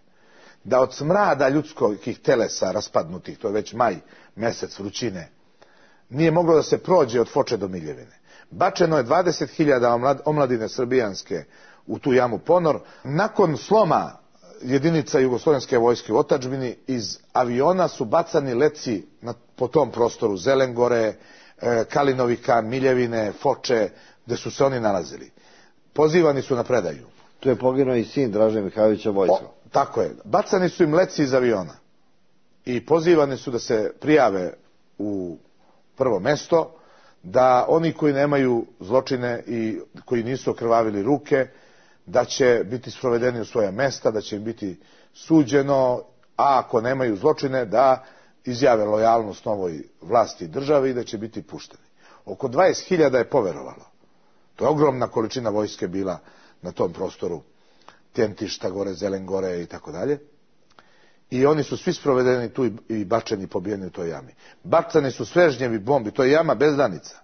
da od smrada ljudskih telesa raspadnutih, to je već maj mjesec vrućine, nije moglo da se prođe od Foče do Miljevine. Bačeno je 20.000 omladine srbijanske u tu jamu Ponor. Nakon sloma jedinica jugoslovenske vojske u otadžbini, iz aviona su bacani leci po tom prostoru Zelengore, Kalinovika, Miljevine, Foče, gdje su se oni nalazili. Pozivani su na predaju. Tu je poginuo i sin Draže Mihajlovića Vojska. Tako je. Bacani su im leci iz aviona i pozivani su da se prijave u prvo mesto, da oni koji nemaju zločine i koji nisu okrvavili ruke, da će biti sprovedeni u svoja mesta, da će im biti suđeno, a ako nemaju zločine da izjave lojalnost novoj vlasti i državi i da će biti pušteni. Oko 20.000 je poverovalo. To je ogromna količina vojske bila na tom prostoru, Tjentišta gore, Zelengore i tako dalje. I oni su svi sprovedeni tu i bačeni, pobijeni u toj jami. Bacani su svežnjevi bombi, to je jama bezdanica.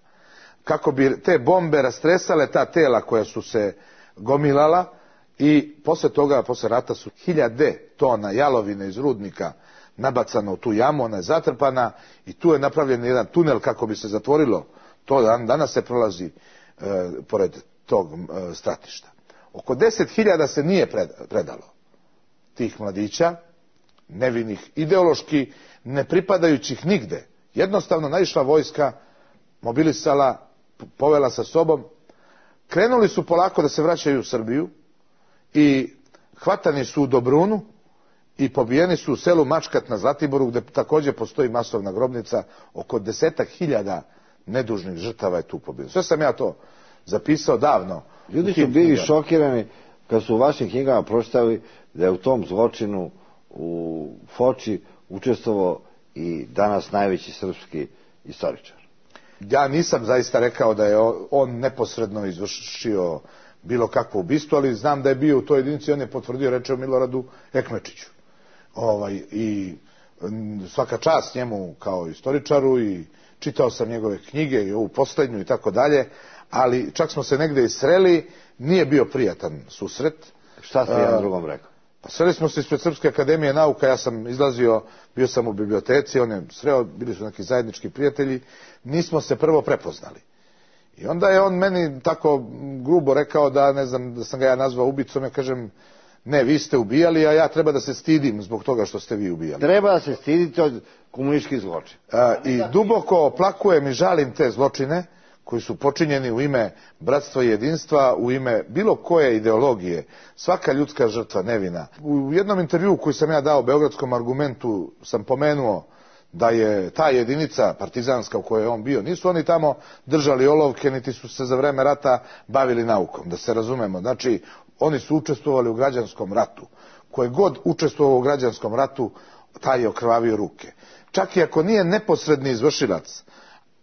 Kako bi te bombe rastresale ta tela koja su se gomilala, i poslije toga, poslije rata su 1000 tona jalovine iz rudnika nabacano u tu jamu, ona je zatrpana i tu je napravljen jedan tunel kako bi se zatvorilo. To danas se prolazi pored tog stratišta. Oko 10.000 se nije predalo tih mladića, nevinih, ideološki ne pripadajućih nigde. Jednostavno naišla vojska, mobilisala, povela sa sobom, krenuli su polako da se vraćaju u Srbiju i hvatani su u Dobrunu i pobijeni su u selu Mačkat na Zlatiboru, gde također postoji masovna grobnica, oko 10.000 nedužnih žrtava je tu pobijeno. Sve sam ja to zapisao davno. Ljudi su bili šokirani kad su u vašim knjigama pročitali da je u tom zločinu u Foči učestvovao i danas najveći srpski istoričar. Ja nisam zaista rekao da je on neposredno izvršio bilo kakvo ubistvo, ali znam da je bio u toj jedinici, on je potvrdio, reče o Miloradu Ekmečiću. I svaka čast njemu kao istoričaru i čitao sam njegove knjige i ovu posljednju i tako dalje, ali čak smo se negde i sreli, nije bio prijatan susret. Šta ste jedan drugom rekao? Pa sreli smo se ispred Srpske akademije nauka, ja sam izlazio, bio sam u biblioteci, on je sreo, bili su neki zajednički prijatelji, nismo se prvo prepoznali. I onda je on meni tako grubo rekao da, ne znam, da sam ga ja nazvao ubicom, ja kažem, ne, vi ste ubijali, a ja treba da se stidim zbog toga što ste vi ubijali. Treba da se stidite od komunističkih zločina. I duboko oplakujem i žalim te zločine koji su počinjeni u ime bratstva i jedinstva, u ime bilo koje ideologije. Svaka ljudska žrtva nevina. U jednom intervjuu koji sam ja dao Beogradskom Argumentu sam pomenuo da je ta jedinica partizanska u kojoj je on bio, nisu oni tamo držali olovke, niti su se za vreme rata bavili naukom, da se razumemo. Znači, oni su učestvovali u građanskom ratu. Ko je god učestvovao u građanskom ratu, taj je okrvavio ruke. Čak i ako nije neposredni izvršilac,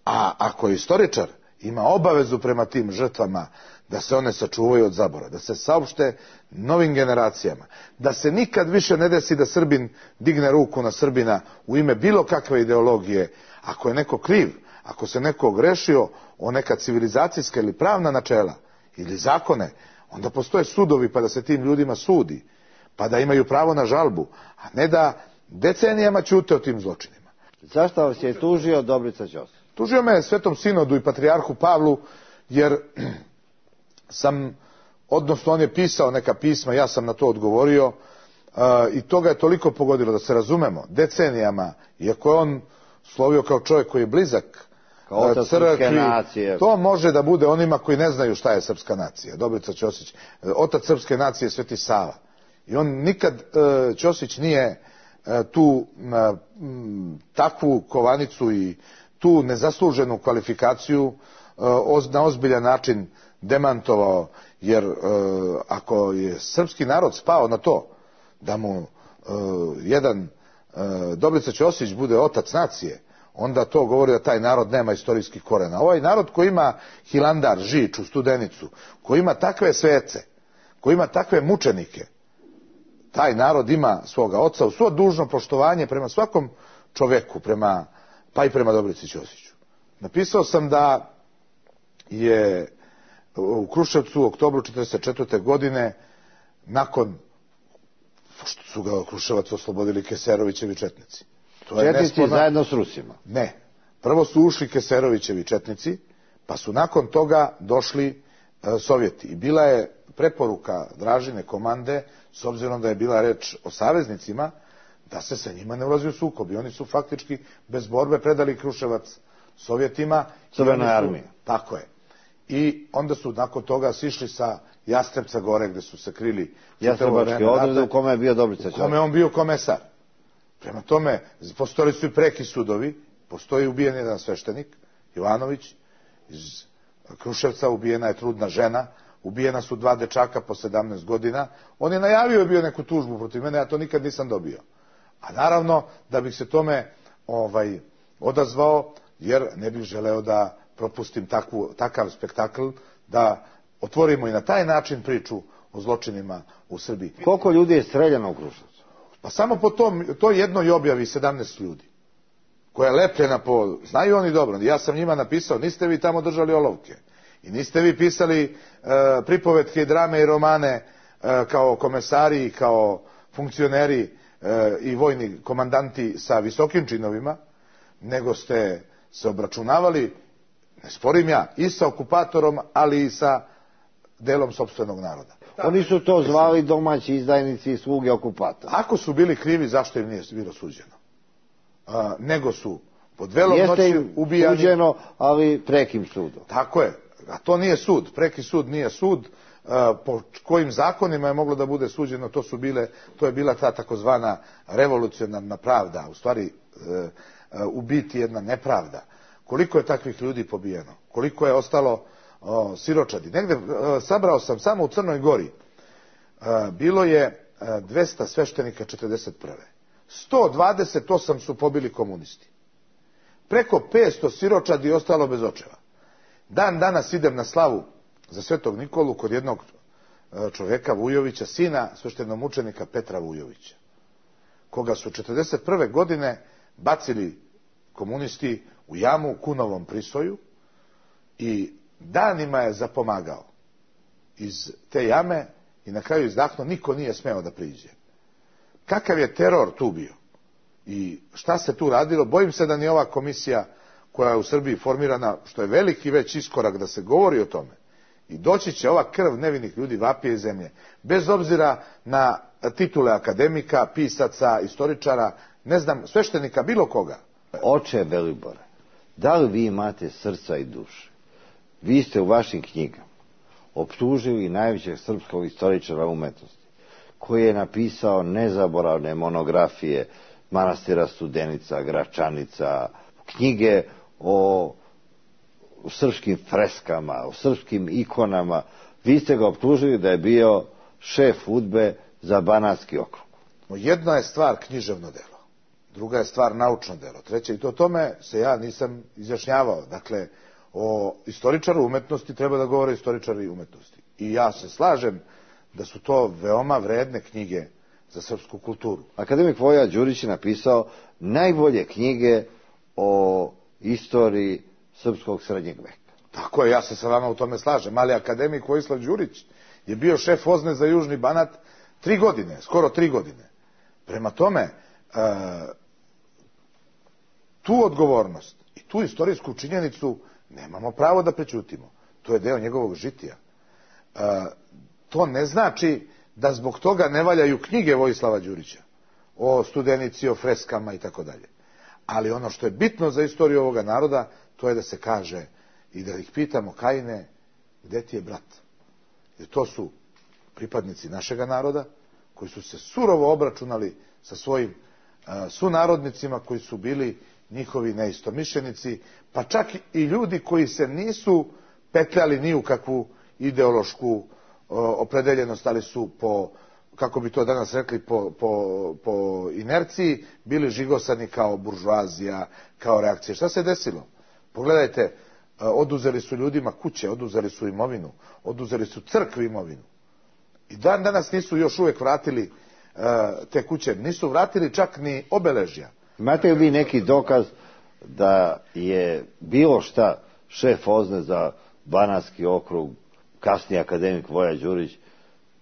a ako je istoričar, ima obavezu prema tim žrtvama da se one sačuvaju od zabora, da se saopšte novim generacijama, da se nikad više ne desi da Srbin digne ruku na Srbina u ime bilo kakve ideologije. Ako je neko kriv, ako se neko ogrešio o neka civilizacijska ili pravna načela ili zakone, onda postoje sudovi pa da se tim ljudima sudi, pa da imaju pravo na žalbu, a ne da decenijama ćute o tim zločinima. Zašto vas je tužio Dobrica Ćosić? Tužio me Svetom sinodu i patrijarhu Pavlu, jer sam, odnosno on je pisao neka pisma, ja sam na to odgovorio, i to ga je toliko pogodilo, da se razumemo, decenijama, iako je on slovio kao čovjek koji je blizak crkvi, to može da bude onima koji ne znaju šta je srpska nacija. Dobrica Ćosić, otac srpske nacije je Sveti Sava. I on nikad, Ćosić nije tu takvu kovanicu i tu nezasluženu kvalifikaciju na ozbiljan način demantovao, jer ako je srpski narod spao na to da mu jedan Dobrica Ćosić bude otac nacije, onda to govori da taj narod nema istorijskih korena. Ovaj narod koji ima Hilandar, Žiču, Studenicu, koji ima takve svece, koji ima takve mučenike, taj narod ima svoga oca, u svo dužno poštovanje prema svakom čoveku, pa i prema Dobrici Ćosiću. Napisao sam da je u Kruševcu u oktobru 1944. godine, nakon što su ga Kruševac oslobodili Keserovićevi četnici. Četnici zajedno s Rusima? Ne. Prvo su ušli Keserovićevi četnici, pa su nakon toga došli Sovjeti. I bila je preporuka Dražine komande, s obzirom da je bila reč o saveznicima, da se sa njima ne ulazi u sukob. I oni su faktički bez borbe predali Kruševac Sovjetima. Crvenoj armiji. Tako je. I onda su nakon toga sišli sa Jastrebca gore, gde su se krili Jastrebački odred, u kome je bio Dobrica Ćosić. U kome on bio komesar. Prema tome, postojali su i preki sudovi, postoji ubijen jedan sveštenik, Jovanović, iz Kruševca, ubijena je trudna žena, ubijena su 2 dečaka po 17 godina. On je najavio je bio neku tužbu protiv mene, ja to nikad nisam dobio. A naravno, da bih se tome odazvao, jer ne bih želeo da propustim takav spektakl, da otvorimo i na taj način priču o zločinima u Srbiji. Koliko ljudi je streljano u Kruševcu? Pa samo po toj jednoj objavi 17 ljudi, koja je lepljena po... Znaju oni dobro, ja sam njima napisao, niste vi tamo držali olovke i niste vi pisali pripovetke i drame i romane kao komesari, kao funkcioneri i vojni komandanti sa visokim činovima, nego ste se obračunavali, ne sporim ja, i sa okupatorom, ali i sa delom sopstvenog naroda. Oni su to zvali domaći izdajnici i sluge okupatora. Ako su bili krivi, zašto im nije bilo suđeno? Nego su pod velom noći ubijani. Jeste im suđeno, ali prekim sudom. Tako je. A to nije sud. Preki sud nije sud. po kojim zakonima je moglo da bude suđeno, to je bila ta takozvana revolucionarna pravda, u stvari u biti jedna nepravda. Koliko je takvih ljudi pobijeno, koliko je ostalo siročadi. Negde sabrao sam samo u Crnoj Gori, bilo je 200 sveštenika 41. 128 su pobili komunisti. Preko 500 siročadi ostalo bez očeva. Dan danas idem na slavu za Svetog Nikolu kod jednog čovjeka Vujovića, sina sveštenomučenika Petra Vujovića, koga su 41. godine bacili komunisti u jamu u Kunovom Prisoju i danima je zapomagao iz te jame i na kraju izdahnuo, niko nije smeo da priđe. Kakav je teror tu bio i šta se tu radilo, bojim se da ni ova komisija koja je u Srbiji formirana, što je veliki već iskorak da se govori o tome, i doći će ova krv nevinih ljudi vapije iz zemlje, bez obzira na titule akademika, pisaca, istoričara, ne znam, sveštenika, bilo koga. Oče Velibore, da li vi imate srca i duše? Vi ste u vašim knjigama optužili najvećeg srpskog istoričara umetnosti, koji je napisao nezaboravne monografije manastira Studenica, Gračanica, knjige o srpskim freskama, o srpskim ikonama. Vi ste ga optužili da je bio šef UDBE za Banatski okrug. Jedna je stvar književno delo, druga je stvar naučno delo, treća, i to tome se ja nisam izjašnjavao. Dakle, o istoričaru umetnosti treba da govore istoričari umetnosti. I ja se slažem da su to veoma vredne knjige za srpsku kulturu. Akademik Voja Đurić je napisao najbolje knjige o istoriji srpskog srednjeg veka. Tako je, ja se sa vama u tome slažem, ali akademik Vojislav Đurić je bio šef OZNE za Južni Banat 3 godine, skoro 3 godine. Prema tome, tu odgovornost i tu istorijsku činjenicu nemamo pravo da prećutimo. To je deo njegovog žitija. To ne znači da zbog toga ne valjaju knjige Vojislava Đurića o Studenici, o freskama i tako dalje. Ali ono što je bitno za istoriju ovoga naroda, to je da se kaže i da ih pitamo, Kajine, gde ti je brat? Jer to su pripadnici našega naroda, koji su se surovo obračunali sa svojim sunarodnicima, koji su bili njihovi neistomišljenici, pa čak i ljudi koji se nisu petljali ni u kakvu ideološku opredeljenost, ali su po, kako bi to danas rekli, po inerciji bili žigosani kao buržoazija, kao reakcija. Šta se desilo? Pogledajte, oduzeli su ljudima kuće, oduzeli su imovinu, oduzeli su crkvi imovinu. I dan danas nisu još uvijek vratili te kuće, nisu vratili čak ni obeležja. Imate li vi neki dokaz da je bilo šta šef OZNE za Banatski okrug, kasnije akademik Voja Đurić,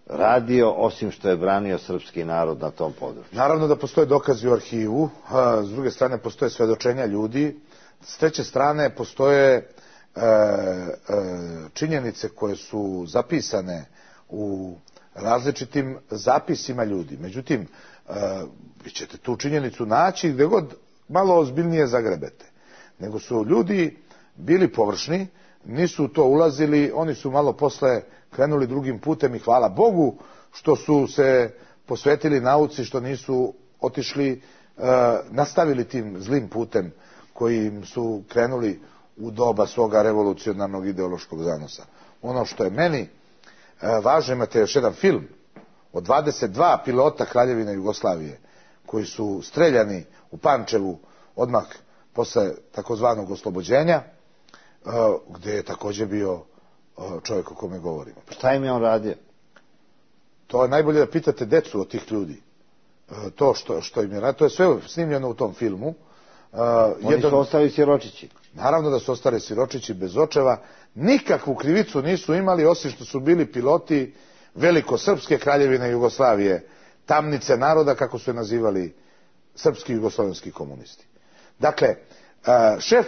radio, osim što je branio srpski narod na tom području? Naravno da postoje dokazi u arhivu, s druge strane postoje svedočenja ljudi, s treće strane postoje činjenice koje su zapisane u različitim zapisima ljudi. Međutim, vi ćete tu činjenicu naći gdje god malo ozbiljnije zagrebete. Nego su ljudi bili površni, nisu to ulazili, oni su malo posle krenuli drugim putem i hvala Bogu što su se posvetili nauci, što nisu otišli, nastavili tim zlim putem kojim su krenuli u doba svoga revolucionarnog ideološkog zanosa. Ono što je meni važno, imate još jedan film od 22 pilota Kraljevine Jugoslavije koji su streljani u Pančevu odmah posle takozvanog oslobođenja, gdje je također bio čovjek o kome govorimo. Šta im je on radio? To je najbolje da pitate decu od tih ljudi. To što im je radio, to je sve snimljeno u tom filmu. Oni su ostali siročići. Naravno da su ostali siročići bez očeva. Nikakvu krivicu nisu imali, osim što su bili piloti velikosrpske Kraljevine Jugoslavije, tamnice naroda, kako su je nazivali srpski jugoslovenski komunisti. Dakle, šef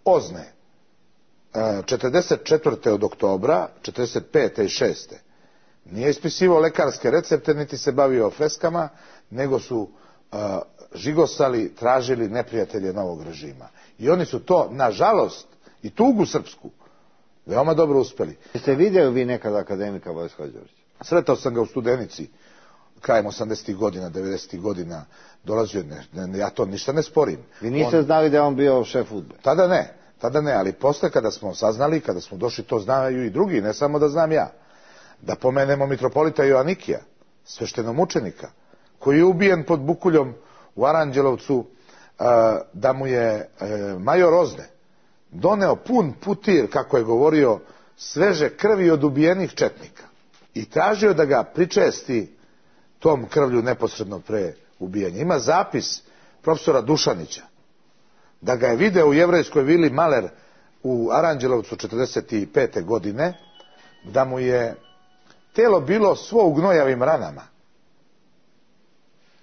OZNE 44. od oktobra, 45. i 6. nije ispisivao lekarske recepte, niti se bavio freskama, nego su žigosali, tražili neprijatelje novog režima. I oni su to, nažalost, i tugu srpsku, veoma dobro uspeli. Jeste vidjeli vi nekada akademika Vojislava Đurđevića? Sretao sam ga u Studenici, krajem 80. godina, 90. godina, dolazio, ja to ništa ne sporim. Vi niste znali da je on bio šef UDBE? Tada ne, ali posle kada smo saznali, kada smo došli, to znaju i drugi, ne samo da znam ja. Da pomenemo mitropolita Joanikija, sveštenomučenika, koji je ubijen pod Bukuljom u Aranđelovcu, da mu je major Ozne doneo pun putir, kako je govorio, sveže krvi od ubijenih četnika i tražio da ga pričesti tom krvlju neposredno pre ubijanja. Ima zapis profesora Dušanića da ga je video u jevrejskoj vili Maler u Aranđelovcu 45. godine, da mu je telo bilo svo u gnojavim ranama.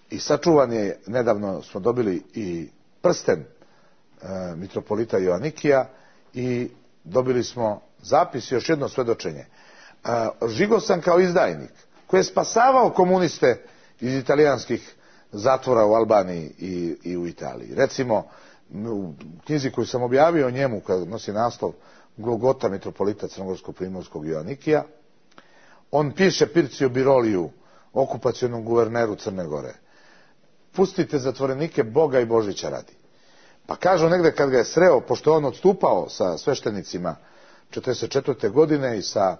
I sačuvan je, nedavno smo dobili i prsten mitropolita Joanikija i dobili smo zapis i još jedno svedočenje. Žigao sam kao izdajnik koji je spasavao komuniste iz italijanskih zatvora u Albaniji i u Italiji. Recimo, u knjizi koju sam objavio o njemu, koja nosi naslov Golgota mitropolita Crnogorsko-primorskog Joanikija, on piše Pircio Biroliju, okupacionom guverneru Crne Gore: pustite zatvorenike Boga i Božića radi. Pa kažu negde kad ga je sreo, pošto on odstupao sa sveštenicima 44. godine i sa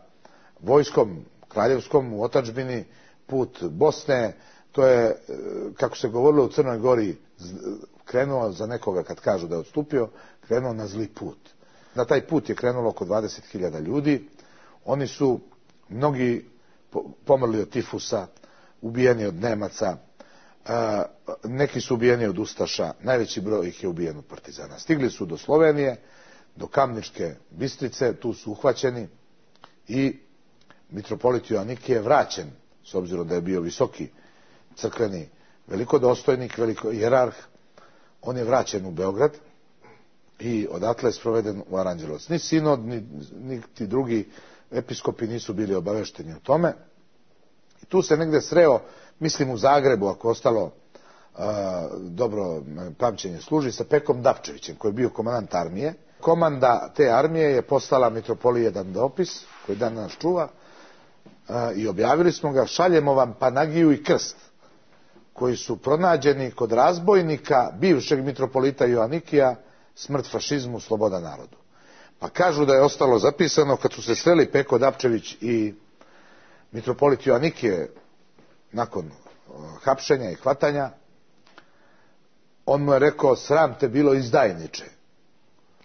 vojskom kraljevskom u otadžbini, put Bosne, to je, kako se govorilo u Crnoj Gori, krenuo za nekoga, kad kažu da je odstupio, krenuo na zli put. Na taj put je krenulo oko 20.000 ljudi. Oni su mnogi pomrli od tifusa, ubijeni od Nemaca, neki su ubijeni od ustaša, najveći broj ih je ubijen od partizana. Stigli su do Slovenije, do Kamničke Bistrice, tu su uhvaćeni i mitropolit Joanikije je vraćen, s obzirom da je bio visoki crkveni velikodostojnik, hijerarh, on je vraćen u Beograd i odatle je sproveden u Aranđelovac. Ni sinod, ni ti drugi episkopi nisu bili obavešteni o tome. I tu se negde sreo, mislim u Zagrebu, ako ostalo dobro pamćenje služi, sa Pekom Dapčevićem, koji je bio komandant armije. Komanda te armije je poslala mitropoliji jedan dopis, koji dan nas čuva, i objavili smo ga: šaljemo vam Panagiju i krst, koji su pronađeni kod razbojnika bivšeg mitropolita Joanikija, smrt fašizmu, sloboda narodu. Pa kažu da je ostalo zapisano, kad su se sreli Peko Dapčević i mitropolit Joanikije nakon hapšenja i hvatanja, on mu je rekao: sram te bilo, izdajniče.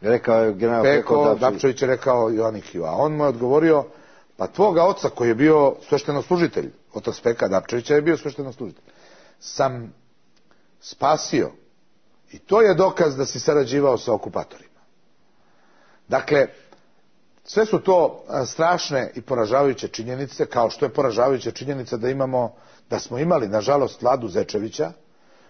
Rekao je general Peko Dapčević je rekao Joanikiju, a on mu je odgovorio: pa tvoga oca, koji je bio sveštenoslужitelj, otac Peka Dapčevića je bio sveštenoslужitelj, sam spasio, i to je dokaz da si sarađivao sa okupatorima. Dakle, sve su to strašne i poražavajuće činjenice, kao što je poražavajuća činjenica da smo imali, nažalost, Vladu Zečevića,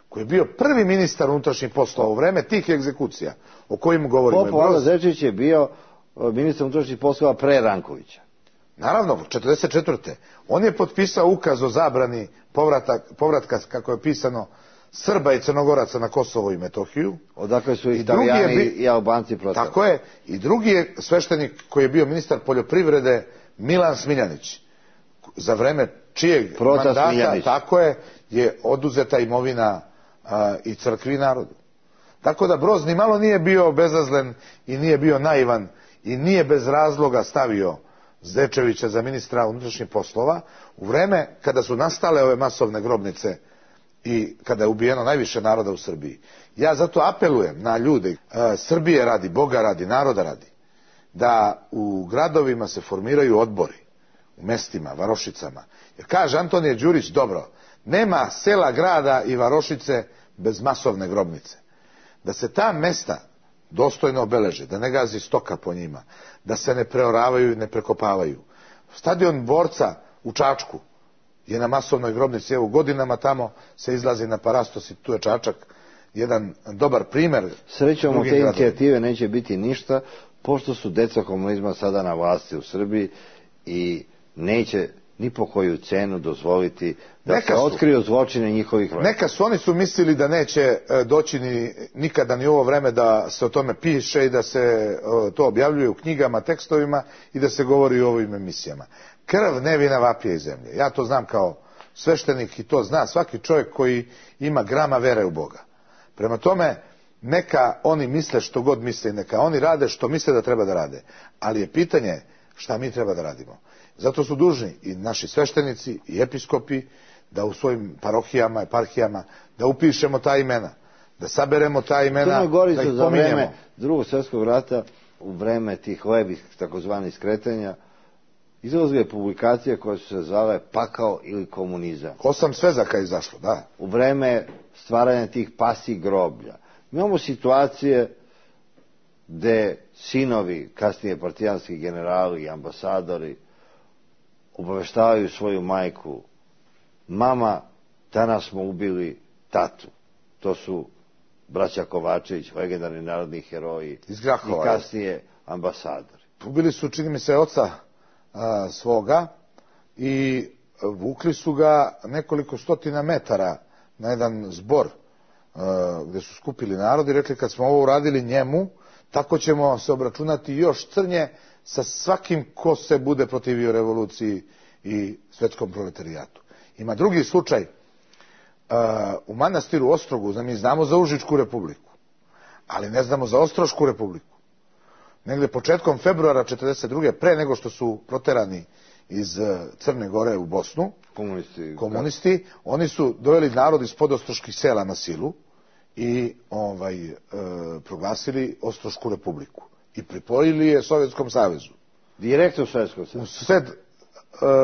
koji je bio prvi ministar unutrašnjih poslova u vreme tih egzekucija o kojim govorimo. Vlada Zečević je bio ministar unutrašnjih poslova pre Rankovića. Naravno, 44. On je potpisao ukaz o zabrani povratka, kako je pisano, Srba i Crnogoraca na Kosovo i Metohiju. Odakle su Italijani i Albanci protiv. Tako je. I drugi je sveštenik koji je bio ministar poljoprivrede, Milan Smiljanić, za vreme čijeg mandata, tako je oduzeta imovina i crkvi i narodu. Tako da Broz ni malo nije bio bezazlen i nije bio naivan i nije bez razloga stavio Zečevića za ministra unutrašnjih poslova u vreme kada su nastale ove masovne grobnice i kada je ubijeno najviše naroda u Srbiji. Ja zato apelujem na ljude Srbije radi, Boga radi, naroda radi, da u gradovima se formiraju odbori, u mestima, varošicama. Jer kaže Antonije Đurić dobro: nema sela, grada i varošice bez masovne grobnice. Da se ta mesta dostojno obeleže, da ne gazi stoka po njima, da se ne preoravaju i ne prekopavaju. Stadion Borca u Čačku je na masovnoj grobnici, evo godinama tamo se izlazi na Parastos i tu je Čačak jedan dobar primer. Srećom od te inicijative neće biti ništa, pošto su deca komunizma sada na vlasti u Srbiji i neće ni po koju cenu dozvoliti da se otkriju zločine njihovih vrata. Neka su, oni su mislili da neće doći nikada ni ovo vreme da se o tome piše i da se to objavljuje u knjigama, tekstovima i da se govori o ovim emisijama. Krv nevina vapije iz zemlje. Ja to znam kao sveštenik i to zna svaki čovjek koji ima grama vere u Boga. Prema tome, neka oni misle što god misle, neka oni rade što misle da treba da rade. Ali je pitanje šta mi treba da radimo. Zato su dužni i naši sveštenici i episkopi da u svojim parohijama, eparhijama, da upišemo ta imena, da saberemo ta imena, da ih pominjemo. Za vreme Drugog svjetskog rata, u vreme tih levih takozvanih skretanja, izlazile publikacije koje su se zvale Pakao ili komunizam. 8 svezaka je izašlo, da. U vreme stvaranja tih pasih groblja. Imamo situacije gde sinovi, kasnije partijanski generali i ambasadori, obaveštavaju svoju majku: mama, danas smo ubili tatu. To su braća Kovačević, legendarni narodni heroji iz Grahova, i kasnije ambasadori. Ubili su, čini mi se, oca svoga i vukli su ga nekoliko stotina metara na jedan zbor gde su skupili narod i rekli: kad smo ovo uradili njemu, tako ćemo se obračunati još crnje sa svakim ko se bude protivio revoluciji i svetskom proletarijatu. Ima drugi slučaj u manastiru Ostrogu. Mi znamo za Užičku republiku, ali ne znamo za Ostrošku republiku. Negde početkom februara 1942. pre nego što su proterani iz Crne Gore u Bosnu, komunisti, oni su doveli narod iz podostroških sela na silu i proglasili Ostrošku republiku i pripojili je Sovjetskom savezu. Direktno u Sovjetskom savezu. U sred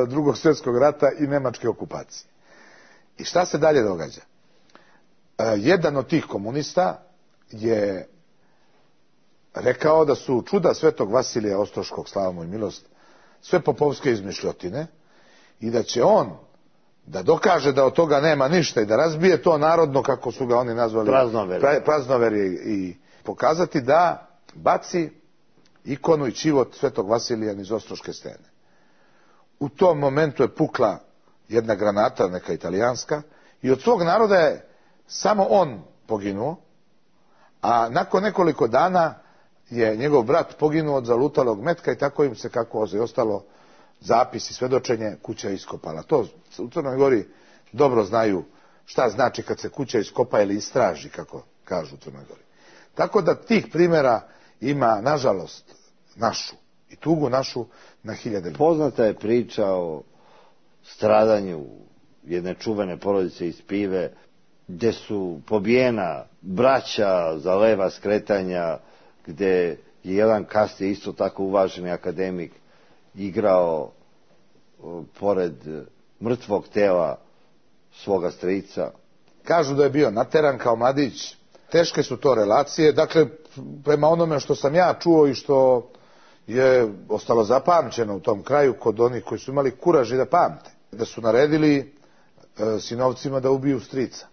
Drugog svjetskog rata i nemačke okupacije. I šta se dalje događa? Jedan od tih komunista je rekao da su čuda svetog Vasilija Ostroškog, slava mu i milost, sve popovske izmišljotine i da će on da dokaže da od toga nema ništa i da razbije to narodno, kako su ga oni nazvali, praznoverje, i pokazati da baci ikonu i čivot svetog Vasilija iz Ostroške stene. U tom momentu je pukla jedna granata, neka italijanska, i od svog naroda je samo on poginuo, a nakon nekoliko dana je njegov brat poginuo od zalutalog metka i tako im se, kako je ostalo zapis i svedočenje, kuća iskopala. To u Crnoj Gori dobro znaju šta znači kad se kuća iskopa ili istraži, kako kažu u Crnoj Gori. Tako da tih primjera ima, nažalost, našu i tugu našu na hiljade. Poznata je priča o stradanju jedne čuvene porodice iz Pive, gde su pobijena braća za leva skretanja, gde je jedan kasnije isto tako uvaženi akademik igrao pored mrtvog tela svoga strica. Kažu da je bio nateran kao mladić. Teške su to relacije. Dakle, prema onome što sam ja čuo i što je ostalo zapamćeno u tom kraju kod onih koji su imali kuraž i da pamte, da su naredili sinovcima da ubiju strica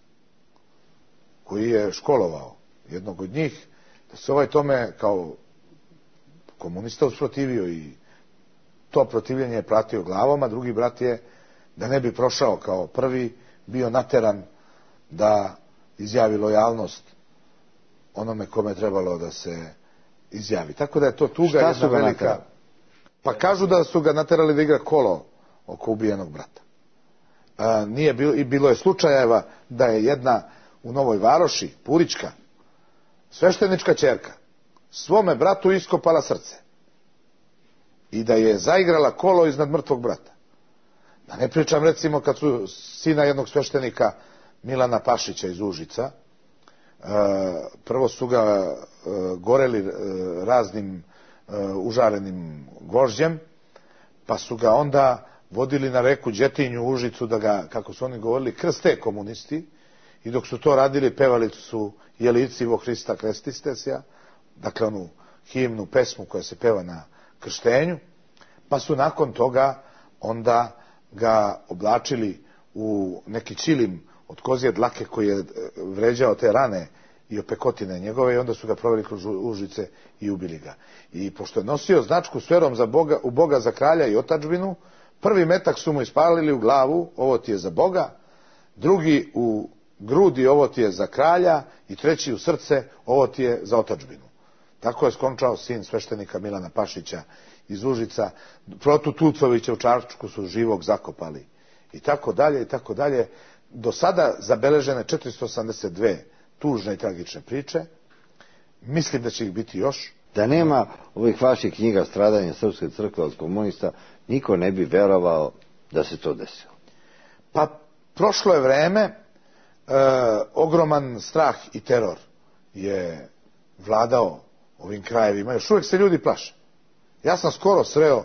koji je školovao jednog od njih, da se ovaj tome kao komunista usprotivio i to protivljenje je platio glavom, a drugi brat je, da ne bi prošao kao prvi, bio nateran da izjavi lojalnost onome kome je trebalo da se izjavi. Tako da je to tuga jedna velika. Pa kažu da su ga naterali da igra kolo oko ubijenog brata. Nije bilo, i bilo je slučajeva da je jedna u Novoj Varoši, Purićka, sveštenička ćerka, svome bratu iskopala srce i da je zaigrala kolo iznad mrtvog brata. Da ne pričam, recimo, kad su sina jednog sveštenika, Milana Pašića iz Užica, prvo su ga goreli raznim užarenim gvožđem, pa su ga onda vodili na reku Đetinju u Užicu da ga, kako su oni govorili, krste komunisti, i dok su to radili pevali su Jelici Hrista Krestistesja, dakle onu himnu, pesmu koja se peva na krštenju, pa su nakon toga onda ga oblačili u neki čilim od kozije dlake koji je vređao te rane i opekotine njegove, i onda su ga proveli kroz Užice i ubili ga. I pošto je nosio značku s verom u Boga za kralja i otadžbinu, Prvi metak su mu ispalili u glavu, ovo ti je za Boga, drugi u grudi, ovo ti je za kralja, i treći u srce, ovo ti je za otadžbinu. Tako je skončao sin sveštenika Milana Pašića iz Užica. Protu Tucovića u Čačku su živog zakopali. I tako dalje, i tako dalje. Do sada zabeležene 482 tužne i tragične priče. Mislim da će ih biti još. Da nema ovih vaših knjiga Stradanje Srpske crkve od komunista, niko ne bi verovao da se to desilo. Pa prošlo je vreme, ogroman strah i teror je vladao ovim krajevima. Još uvijek se ljudi plaše. Ja sam skoro sreo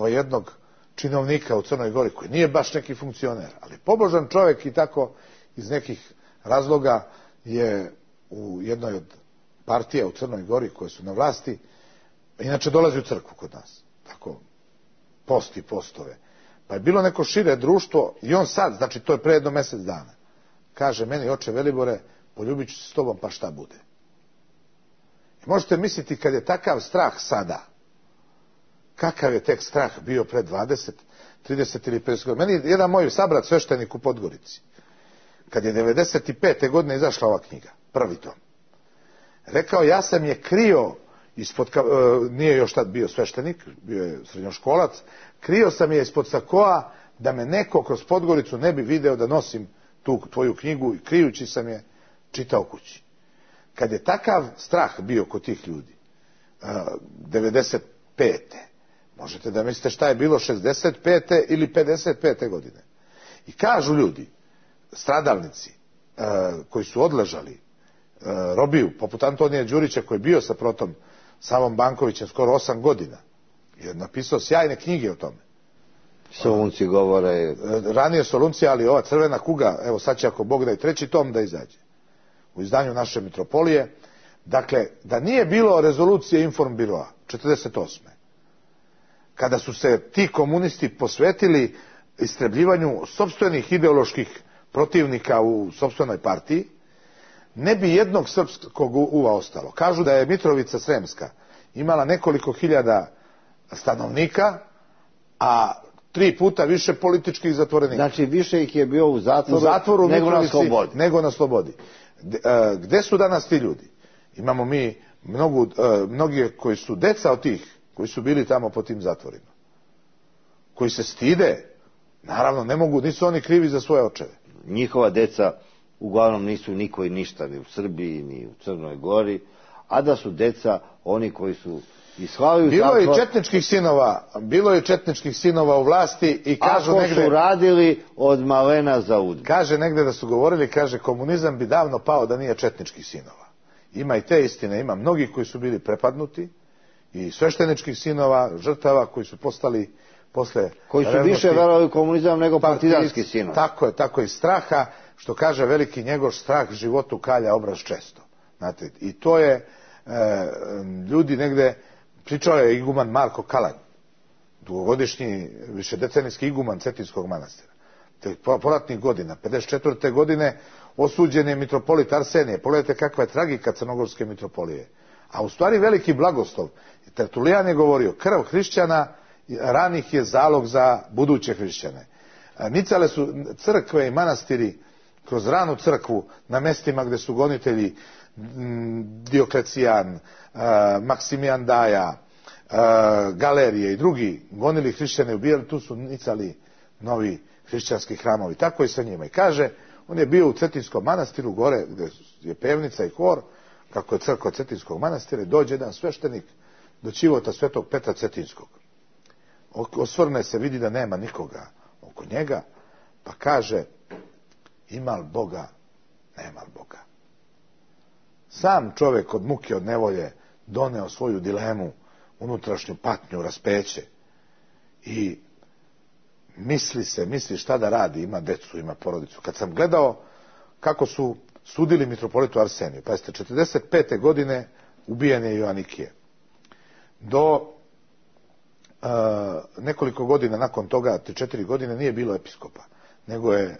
jednog činovnika u Crnoj Gori koji nije baš neki funkcioner, ali pobožan čovjek i tako iz nekih razloga je u jednoj od partija u Crnoj Gori koje su na vlasti, inače dolazi u crkvu kod nas. Tako, posti postove. Pa je bilo neko šire društvo i on sad, znači to je pre jedno mjesec dana, kaže meni, oče Velibore, poljubit ću se s tobom pa šta bude. I možete misliti kad je takav strah sada, kakav je tek strah bio pre 20, 30 ili 50 godina. Meni jedan moj sabrat sveštenik u Podgorici, kad je 95. godine izašla ova knjiga, prvi tom, rekao, ja sam je krio ispod, nije još tad bio sveštenik, bio je srednjoškolac, krio sam je ispod sakoa da me neko kroz Podgoricu ne bi video da nosim tu tvoju knjigu, i krijući sam je čitao kući. Kad je takav strah bio kod tih ljudi, 95. možete da mislite šta je bilo 65. ili 55. godine. I kažu ljudi, stradalnici, koji su odležali robiju, poput Antonija Đurića koji je bio sa protom Savom Bankovićem skoro 8 godina, je napisao sjajne knjige o tome. Solunci govore. Ranije Solunci, ali ova Crvena kuga, evo sad će ako Bog da i 3. tom da izađe u izdanju naše mitropolije. Dakle, da nije bilo rezolucije Informbiroa 48. kada su se ti komunisti posvetili istrebljivanju sopstvenih ideoloških protivnika u sopstvenoj partiji, ne bi jednog srpskog uva ostalo. Kažu da je Mitrovica Sremska imala nekoliko hiljada stanovnika, a 3 puta više političkih zatvorenika. Znači više ih je bio u zatvoru nego na slobodi. Nego na slobodi. Gde su danas ti ljudi? Imamo mi mnogi koji su deca od tih, koji su bili tamo po tim zatvorima. Koji se stide, naravno ne mogu, nisu oni krivi za svoje očeve. Njihova deca uglavnom nisu niko i ništa, ni u Srbiji, ni u Crnoj Gori, a da su deca oni koji su ishvalili zatvor. Bilo je četničkih sinova u vlasti i kažu ako negde... su radili od malena za udbu. Kaže negde da su govorili, kaže, komunizam bi davno pao da nije četničkih sinova. Ima i te istine, ima mnogi koji su bili prepadnuti i svešteničkih sinova, žrtava koji su postali posle... Koji su više verovali u komunizam nego partizanski sinovi. Tako i straha, što kaže veliki Njegoš, strah životu kalja obraz često. Znate, i to je ljudi negde, pričao je iguman Marko Kalanj, dugogodišnji, višedecenijski iguman Cetinskog manastira. Poratnih godina, 54. godine, osuđen je mitropolit Arsenije. Pogledajte kakva je tragika crnogorske mitropolije. A u stvari veliki blagoslov. Tertulijan je govorio, krv hrišćana ranih je zalog za buduće hrišćane. Nicale su crkve i manastiri kroz ranu crkvu na mestima gde su gonitelji Dioklecijan, Maksimijan Daja, Galerije i drugi gonili hrišćane i ubijali, tu su nicali novi hrišćanski hramovi. Tako i sa njima. I kaže, on je bio u Cetinskom manastiru, gore gde je pevnica i hor, kako je crkva Cetinskog manastira, dođe jedan sveštenik do ćivota Svetog Petra Cetinskog. Osvrne se, vidi da nema nikoga oko njega, pa kaže, ima li Boga, nema li Boga. Sam čovjek od muke, od nevolje doneo svoju dilemu, unutrašnju patnju, raspeće i misli šta da radi, ima decu, ima porodicu. Kad sam gledao kako su sudili mitropolitu Arseniju, pa jeste 45. godine ubijen je Joanikije. Do nekoliko godina nakon toga, 3-4 godine, nije bilo episkopa, nego je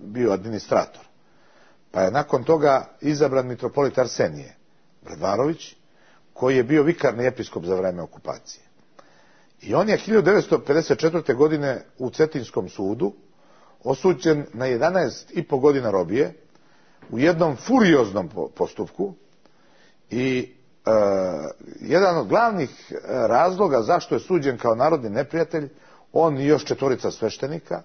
bio administrator. Pa je nakon toga izabran mitropolit Arsenije Bradvarović, koji je bio vikarni episkop za vreme okupacije. I on je 1954. godine u Cetinskom sudu osuđen na 11,5 godina robije u jednom furioznom postupku i jedan od glavnih razloga zašto je suđen kao narodni neprijatelj, on i još 4 sveštenika,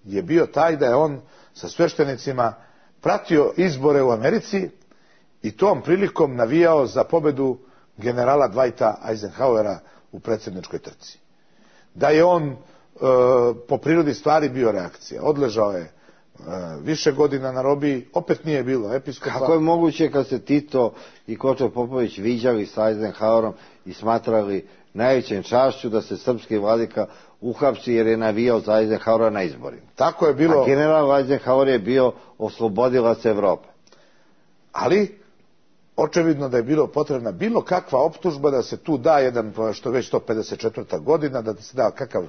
je bio taj da je on sa sveštenicima pratio izbore u Americi i tom prilikom navijao za pobedu generala Dwighta Eisenhowera u predsjedničkoj trci. Da je on po prirodi stvari bio reakcija. Odležao je više godina na robiji, opet nije bilo episkopa. Kako je moguće kad se Tito i Kočo Popović viđali sa Eisenhowerom i smatrali najvećem čašću da se srpski vladika uhapsi jer je navijao za Eisenhowera na izborima? Tako je bilo. A general Eisenhower je bio oslobodilac Evrope. Ali očevidno da je bilo potrebna bilo kakva optužba da se tu da jedan, što već 154. godina, da se da kakav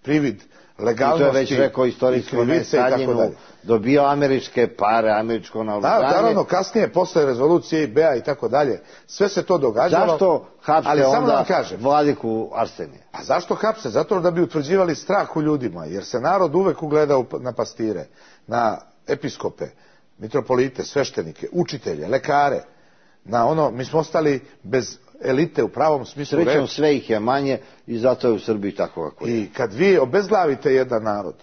privid legalnosti. I to je već rekao istorijski Staljinu, dobio američke pare, američko naoružanje. Da, naravno, kasnije, posle rezolucije IB-a i tako dalje, sve se to događalo. Zašto hapse onda vladiku Arsenija? A zašto hapse? Zato da bi utvrđivali strah u ljudima, jer se narod uvek ugledao na pastire, na episkope, mitropolite, sveštenike, učitelje, lekare, na ono, mi smo ostali bez elite u pravom smislu reči. Srećom, sve ih je manje i zato je u Srbiji tako kako je. I kad vi obezglavite jedan narod,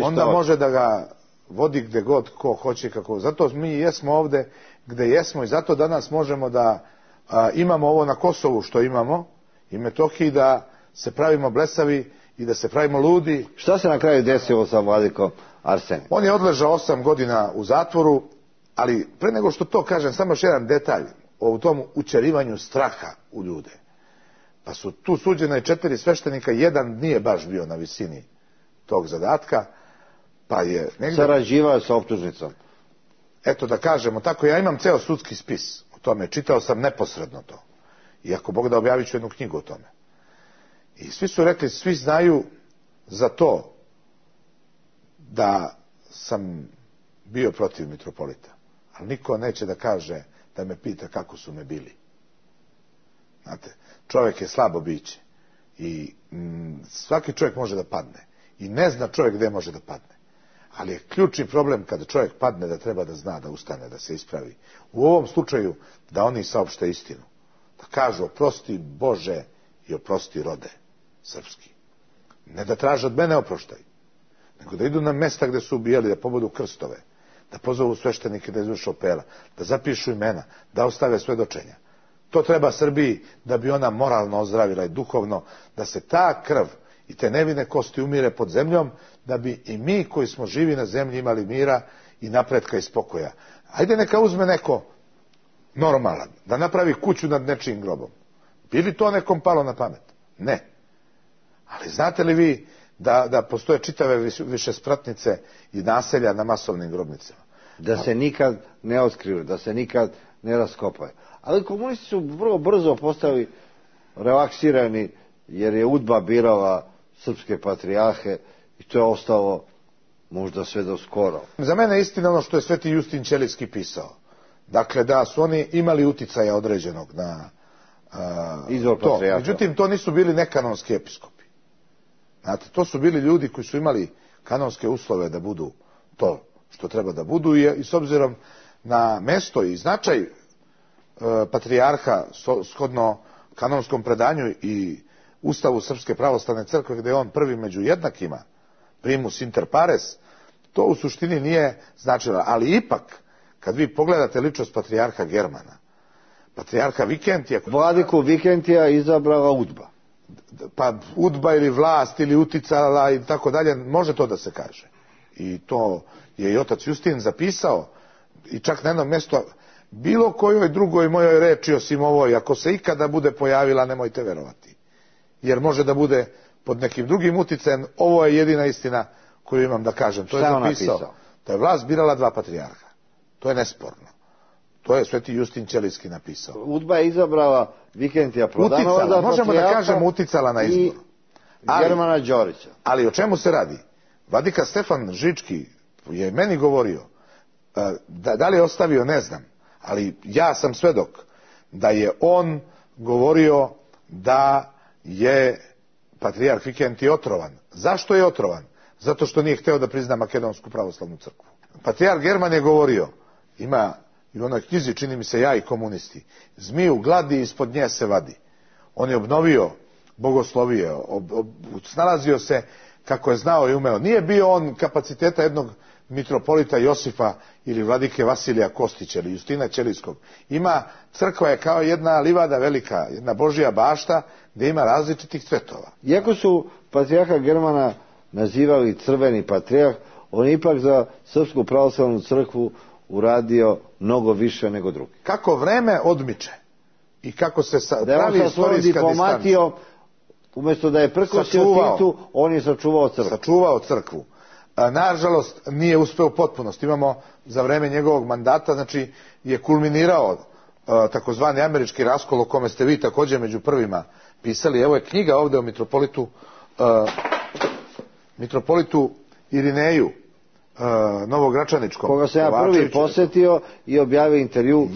onda može da ga vodi gde god ko hoće kako. Zato mi jesmo ovde gde jesmo i zato danas možemo da imamo ovo na Kosovu što imamo i Metohiji, da se pravimo blesavi i da se pravimo ludi. Šta se na kraju desilo sa vladikom Arsenijom? On je odležao 8 godina u zatvoru, ali pre nego što to kažem, samo još jedan detalj o tom učerivanju straha u ljude. Pa su tu suđena i 4 sveštenika, jedan nije baš bio na visini tog zadatka, pa je negdje... Sarađivao sa optužnicom. Eto da kažemo tako, ja imam ceo sudski spis o tome, čitao sam neposredno to. I ako Bog da, objavit ću jednu knjigu o tome. I svi su rekli, svi znaju za to da sam bio protiv mitropolita. Ali niko neće da kaže, da me pita kako su me bili. Znate, čovjek je slabo biće i svaki čovjek može da padne i ne zna čovjek gdje može da padne. Ali je ključni problem kada čovjek padne da treba da zna, da ustane, da se ispravi. U ovom slučaju da oni saopšte istinu. Da kažu oprosti Bože i oprosti rode srpski. Ne da traže od mene oproštaj, nego da idu na mesta gdje su ubijali, da pobodu krstove, da pozovu sveštenike da izvrše opela, da zapišu imena, da ostave svedočenja. To treba Srbiji da bi ona moralno ozdravila i duhovno, da se ta krv i te nevine kosti umire pod zemljom, da bi i mi koji smo živi na zemlji imali mira i napretka i spokoja. Ajde neka uzme neko normalan, da napravi kuću nad nečijim grobom. Bi li to nekom palo na pamet? Ne. Ali znate li vi da postoje čitave višespratnice i naselja na masovnim grobnicama? Da se nikad ne otkriju, da se nikad ne raskopaju. Ali komunisti su vrlo brzo postali relaksirani, jer je UDBA birala srpske patrijarhe i to je ostalo možda sve do skoro. Za mene je istina ono što je Sveti Justin Ćelijski pisao. Dakle, da su oni imali uticaja određenog na izvor to. patrijarha. Međutim, to nisu bili nekanonski episkopi. Znate, to su bili ljudi koji su imali kanonske uslove da budu to što treba da budu i s obzirom na mesto i značaj patrijarha shodno kanonskom predanju i Ustavu Srpske pravoslavne crkve, gdje je on prvi među jednakima, primus inter pares, to u suštini nije značilo. Ali ipak, kad vi pogledate ličnost patrijarha Germana, patrijarha Vikentija... Vladiku Vikentija izabrala UDBA. Pa UDBA ili vlast ili uticala i tako dalje, može to da se kaže. I to je i otac Justin zapisao i čak na jednom mjestu, bilo kojoj drugoj mojoj reči osim ovoj, ako se ikada bude pojavila, nemojte verovati. Jer može da bude pod nekim drugim uticajem, ovo je jedina istina koju imam da kažem. To je zapisao. Da je vlast birala 2 patrijarha. To je nesporno. To je Sveti Justin Ćelijski napisao. UDBA je izabrala Vikentija Prodanova za patrijarha. Možemo da kažemo uticala na izbor. Germana Đorića. Ali o čemu se radi? Vladika Stefan Žički je meni govorio, da li je ostavio, ne znam, ali ja sam svedok da je on govorio da je patrijarh Vikentij otrovan. Zašto je otrovan? Zato što nije hteo da prizna Makedonsku pravoslavnu crkvu. Patrijarh German je govorio, ima i u onoj knjizi, čini mi se, Ja i komunisti, zmiju gladi ispod nje se vadi. On je obnovio bogoslovije, snalazio se kako je znao i umeo. Nije bio on kapaciteta jednog mitropolita Josifa ili vladike Vasilija Kostića ili Justina Ćelijskog. Crkva je kao jedna livada velika, jedna Božja bašta gdje ima različitih cvetova. Iako su patrijarha Germana nazivali crveni patrijarh, on je ipak za Srpsku pravoslavnu crkvu uradio mnogo više nego drugi. Kako vreme odmiče i kako se pravi istorijska distanca. Umjesto da je prkosio Titu, on je sačuvao crkvu. Nažalost, nije uspeo u potpunosti. Imamo za vreme njegovog mandata, znači, je kulminirao takozvani američki raskol o kome ste vi također među prvima pisali. Evo je knjiga ovdje o mitropolitu Irineju Novogračaničkom. Koga sam ja prvi posjetio i objavio intervju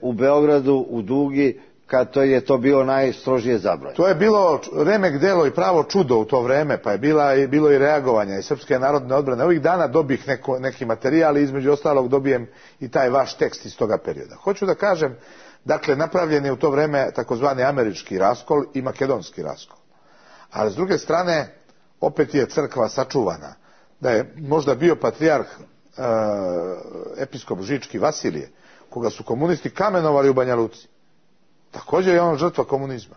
u Beogradu, u Dugi, kad je to bilo najstrožije zabranjeno. To je bilo remek delo i pravo čudo u to vreme, pa je bilo i reagovanja i Srpske narodne odbrane. Ovih dana dobih neki materijal i između ostalog dobijem i taj vaš tekst iz toga perioda. Hoću da kažem, dakle, napravljen je u to vreme takozvani američki raskol i makedonski raskol. Ali s druge strane, opet je crkva sačuvana. Da je možda bio patrijarh episkop Žički Vasilije, koga su komunisti kamenovali u Banja Luci. Također je on žrtva komunizma,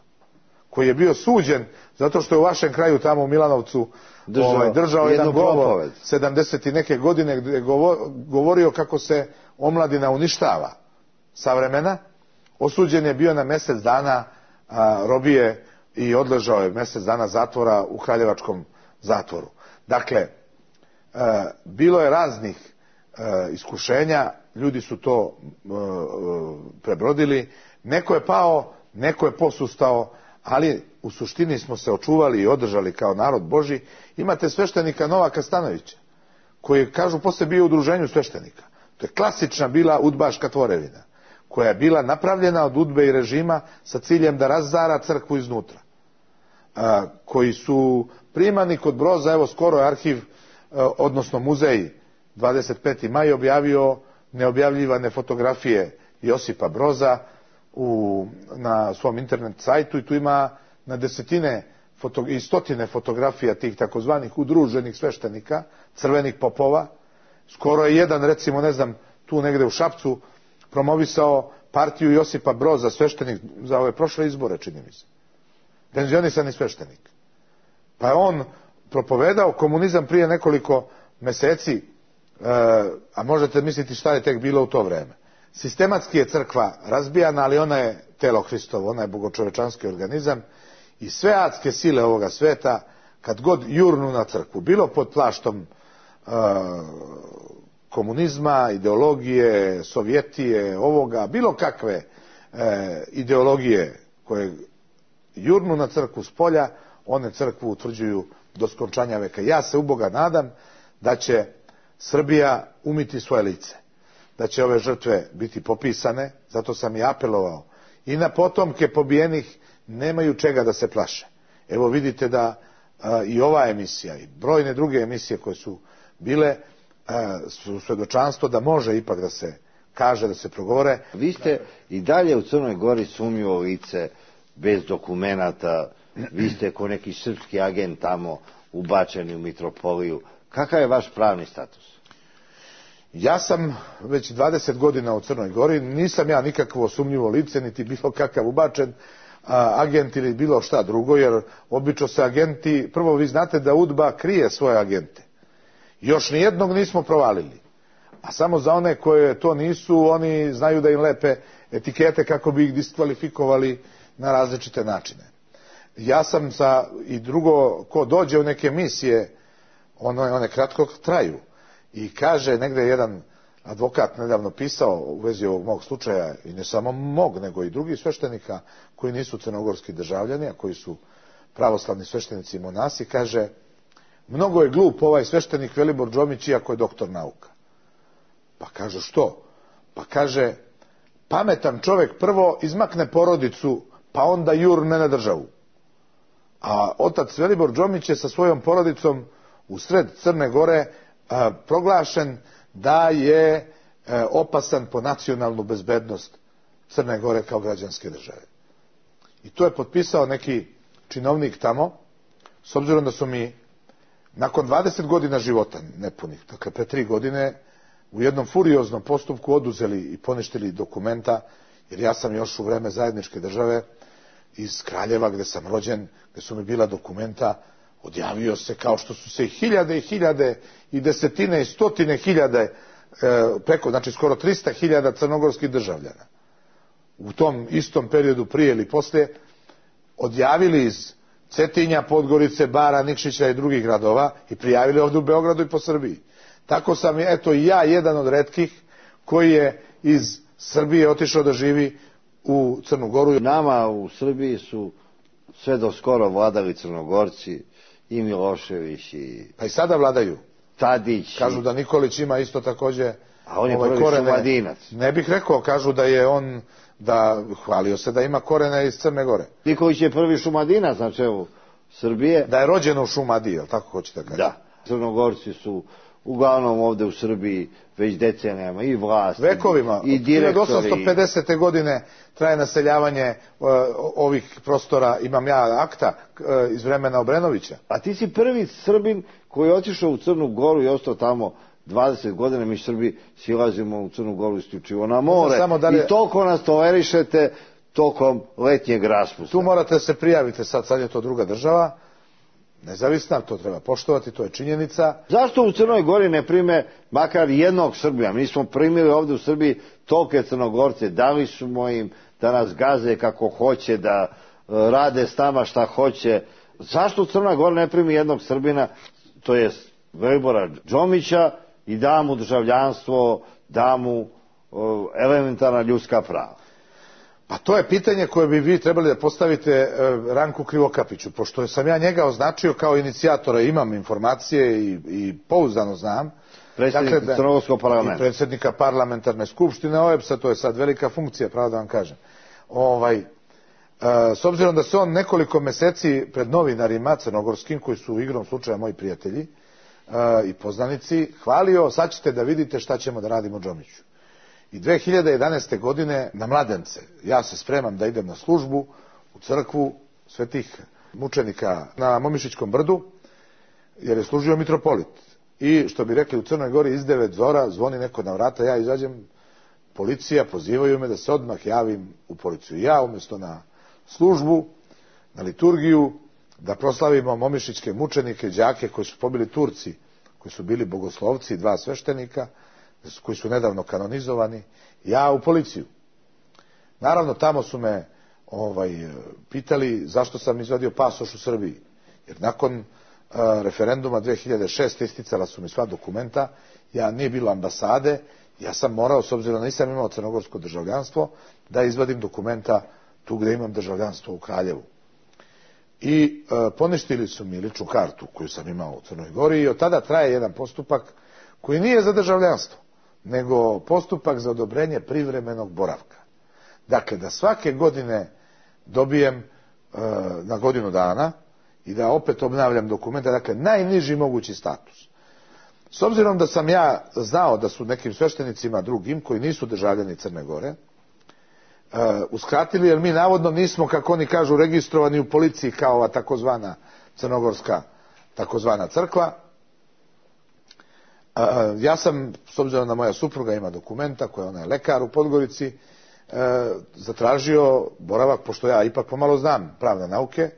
koji je bio suđen zato što je u vašem kraju tamo u Milanovcu držao jedan govor 70 i neke godine gdje je govorio kako se omladina uništava savremena. Osuđen je bio na mjesec dana robije i odležao je mjesec dana zatvora u Kraljevačkom zatvoru. Dakle, bilo je raznih iskušenja, ljudi su to prebrodili. Neko je pao, neko je posustao, ali u suštini smo se očuvali i održali kao narod Božji. Imate sveštenika Novaka Stanovića, koji, kažu, poslije bio u udruženju sveštenika. To je klasična bila udbaška tvorevina, koja je bila napravljena od udbe i režima sa ciljem da razara crkvu iznutra. Koji su primani kod Broza, evo skoro je arhiv, odnosno muzej 25. maj objavio neobjavljivane fotografije Josipa Broza na svom internet sajtu i tu ima na desetine i stotine fotografija tih takozvanih udruženih sveštenika, crvenih popova. Skoro je jedan, recimo, ne znam, tu negde u Šapcu promovisao partiju Josipa Broza, sveštenik za ove prošle izbore, čini mi se. Penzionisani sveštenik. Pa je on propovedao komunizam prije nekoliko meseci, a možete misliti šta je tek bilo u to vreme. Sistematski je crkva razbijana, ali ona je telo Hristovo, ona je bogočovečanski organizam i sve adske sile ovoga sveta, kad god jurnu na crkvu, bilo pod plaštom komunizma, ideologije, sovjetije, ovoga, bilo kakve ideologije koje jurnu na crkvu s polja, one crkvu utvrđuju do skončanja veka. Ja se u Boga nadam da će Srbija umiti svoje lice, da će ove žrtve biti popisane, zato sam i apelovao i na potomke pobijenih, nemaju čega da se plaše. Evo vidite da i ova emisija i brojne druge emisije koje su bile su svjedočanstvo da može ipak da se kaže, da se progovore. Vi ste i dalje u Crnoj Gori sumnjivo lice, bez dokumenata, vi ste ko neki srpski agent tamo ubačeni u mitropoliju. Kakav je vaš pravni status? Ja sam već 20 godina u Crnoj Gori, nisam ja nikakvo sumnjivo lice, niti bilo kakav ubačen agent ili bilo šta drugo, jer obično se agenti, prvo vi znate da UDBA krije svoje agente. Još nijednog nismo provalili. A samo za one koje to nisu, oni znaju da im lepe etikete kako bi ih diskvalifikovali na različite načine. Ja sam i drugo, ko dođe u neke misije, one kratko traju. I kaže, negdje jedan advokat nedavno pisao u vezi ovog mog slučaja, i ne samo mog, nego i drugih sveštenika koji nisu crnogorski državljani, a koji su pravoslavni sveštenici i monasi, kaže, mnogo je glup ovaj sveštenik Velibor Džomić, iako je doktor nauka. Pa kaže, što? Pa kaže, pametan čovjek prvo izmakne porodicu, pa onda jurne na državu. A a otac Velibor Đomić je sa svojom porodicom u sred Crne Gore proglašen da je opasan po nacionalnu bezbednost Crne Gore kao građanske države. I to je potpisao neki činovnik tamo, s obzirom da su mi nakon 20 godina života nepunih, dakle pre 3 godine, u jednom furioznom postupku oduzeli i poništili dokumenta, jer ja sam još u vreme zajedničke države iz Kraljeva, gde sam rođen, gde su mi bila dokumenta, odjavio se kao što su se hiljade i hiljade i desetine i stotine hiljade, preko, znači skoro 300.000 crnogorskih državljana u tom istom periodu prije ili poslije odjavili iz Cetinja, Podgorice, Bara, Nikšića i drugih gradova i prijavili ovdje u Beogradu i po Srbiji. Tako sam, eto, i ja jedan od retkih koji je iz Srbije otišao da živi u Crnu Goru. Nama u Srbiji su sve do skoro vladali Crnogorci, i Milošević i... Pa i sada vladaju. Tadić. Kažu da Nikolić ima isto takođe... A on je prvi Šumadinac. Ne bih rekao, kažu da je on, da hvalio se da ima korene iz Crne Gore. Nikolić je prvi Šumadinac na čelu Srbije. Da je rođen u Šumadiji, jel tako hoćete da kažete? Da. Crnogorci su uglavnom ovde u Srbiji već decenijama i vlast vekovima, i direktori. 1850. godine traje naseljavanje ovih prostora. Imam ja akta iz vremena Obrenovića. A ti si prvi Srbin koji je otišao u Crnu Goru i ostao tamo 20 godina. Mi Srbi silazimo u Crnu Goru isključivo na more i toliko nas tolerišete tokom letnjeg raspusta. Tu morate se prijavite, sad je to druga država, nezavisna, to treba poštovati, to je činjenica. Zašto u Crnoj Gori ne prime makar jednog Srbija? Mi smo primili ovde u Srbiji tolike Crnogorce, dali smo im da nas gaze kako hoće, da rade s nama šta hoće. Zašto u Crnoj Gori ne primi jednog Srbina, to je Velibora Đomića, i da mu državljanstvo, da mu elementarna ljudska prava? Pa to je pitanje koje bi vi trebali da postavite Ranku Krivokapiću, pošto sam ja njega označio kao inicijatora, imam informacije i pouzdano znam. Predsjednik Crnogorskog parlamenta. I predsjednika parlamentarne skupštine OEBS-a, to je sad velika funkcija, pravo da vam kažem. S obzirom da se on nekoliko meseci pred novinarima crnogorskim, koji su igrom slučaja moji prijatelji i poznanici, hvalio, sad ćete da vidite šta ćemo da radimo Đomiću. I 2011. godine na Mladence ja se spremam da idem na službu u crkvu svetih mučenika na Momišićkom brdu, jer je služio mitropolit. I što bi rekli u Crnoj Gori, iz 9 zora zvoni neko na vrata, ja izađem, policija, pozivaju me da se odmah javim u policiju. Ja umjesto na službu, na liturgiju, da proslavimo momišićke mučenike, đake koji su pobili Turci, koji su bili bogoslovci, 2 sveštenika, koji su nedavno kanonizovani, ja u policiju. Naravno, tamo su me pitali zašto sam izvadio pasoš u Srbiji. Jer nakon referenduma 2006. isticala su mi sva dokumenta, ja nije bilo ambasade, ja sam morao, s obzirom da nisam imao crnogorsko državljanstvo, da izvadim dokumenta tu gde imam državljanstvo u Kraljevu. I poništili su mi ličnu kartu koju sam imao u Crnoj Gori i od tada traje jedan postupak koji nije za državljanstvo, nego postupak za odobrenje privremenog boravka. Dakle, da svake godine dobijem na godinu dana i da opet obnavljam dokumente, dakle, najniži mogući status. S obzirom da sam ja znao da su nekim sveštenicima drugim, koji nisu državljani Crne Gore, uskratili, jer mi navodno nismo, kako oni kažu, registrovani u policiji kao ova takozvana crnogorska takozvana crkva. Ja sam, s obzirom da moja supruga ima dokumenta, koja ona je lekar u Podgorici, zatražio boravak, pošto ja ipak pomalo znam pravne nauke,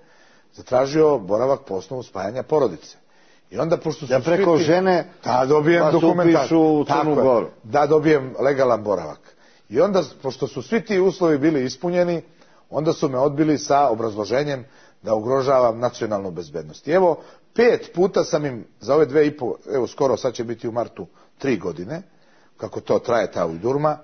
zatražio boravak po osnovu spajanja porodice. I onda, pošto su da preko žene da dobijem dokumentaciju u Crnu Goru. Da dobijem legalan boravak. I onda, pošto su svi ti uslovi bili ispunjeni, onda su me odbili sa obrazloženjem da ugrožavam nacionalnu bezbednost. I evo, 5 puta sam im za ove 2,5, evo skoro sad će biti u martu 3 godine, kako to traje ta ujdurma,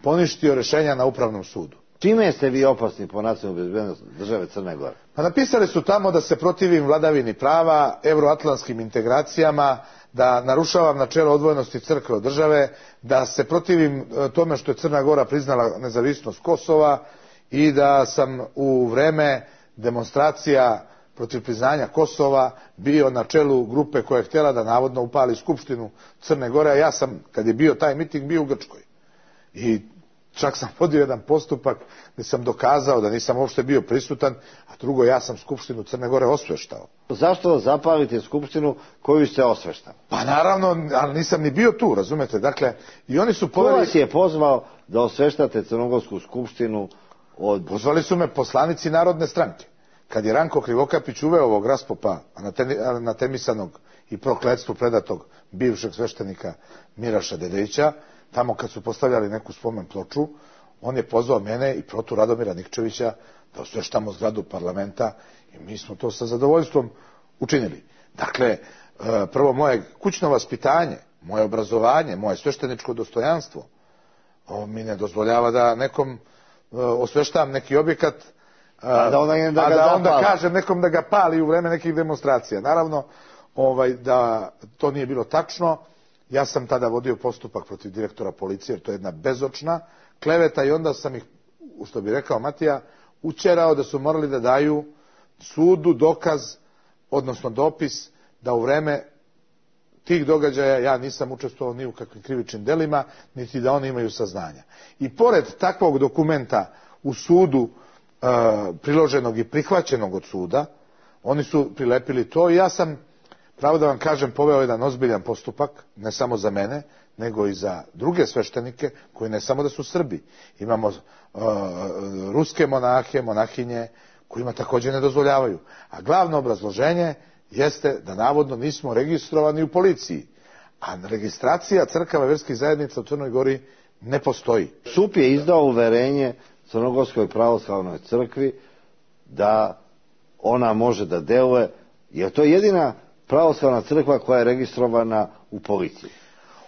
poništio rešenja na Upravnom sudu. Čime ste vi opasni po nacionalnu bezbednost države Crne Gore? Pa napisali su tamo da se protivim vladavini prava, evroatlantskim integracijama, da narušavam načelo odvojenosti crkve od države, da se protivim tome što je Crna Gora priznala nezavisnost Kosova i da sam u vreme demonstracija protiv priznanja Kosova bio na čelu grupe koja je htjela da navodno upali Skupštinu Crne Gore, a ja sam, kad je bio taj miting, bio u Grčkoj. I čak sam vodio jedan postupak gdje sam dokazao da nisam uopšte bio prisutan, a drugo, ja sam Skupštinu Crne Gore osveštao. Zašto zapalite Skupštinu koju ste osveštali? Pa naravno, ali nisam ni bio tu, razumete? Dakle, i oni su Ko vas je pozvao da osveštate Crnogorsku skupštinu od... Pozvali su me poslanici Narodne stranke. Kad je Ranko Krivokapić uveo ovog raspopa anatemisanog i prokletstvu predatog bivšeg sveštenika Miraša Dedejića, tamo kad su postavljali neku spomen ploču, on je pozvao mene i protu Radomira Nikčevića da osveštamo zgradu parlamenta i mi smo to sa zadovoljstvom učinili. Dakle, prvo moje kućno vaspitanje, moje obrazovanje, moje svešteničko dostojanstvo mi ne dozvoljava da nekom osveštavam neki objekat, a da onda kažem nekom da ga pali u vreme nekih demonstracija. Naravno, da to nije bilo tačno. Ja sam tada vodio postupak protiv direktora policije, jer to je jedna bezočna kleveta i onda sam ih, što bi rekao Matija, učerao da su morali da daju sudu dokaz, odnosno dopis, da u vreme tih događaja ja nisam učestvovao ni u kakvim krivičnim delima, niti da oni imaju saznanja. I pored takvog dokumenta u sudu, priloženog i prihvaćenog od suda, oni su prilepili to i ja sam, pravo da vam kažem, poveo jedan ozbiljan postupak, ne samo za mene, nego i za druge sveštenike, koji ne samo da su Srbi. Imamo ruske monahe, monahinje, kojima također ne dozvoljavaju. A glavno obrazloženje jeste da navodno nismo registrovani u policiji. A registracija crkava i vjerskih zajednica u Crnoj Gori ne postoji. SUP je izdao uverenje Crnogorskoj pravoslavnoj crkvi da ona može da deluje, jer to je jedina pravoslavna crkva koja je registrovana u policiji.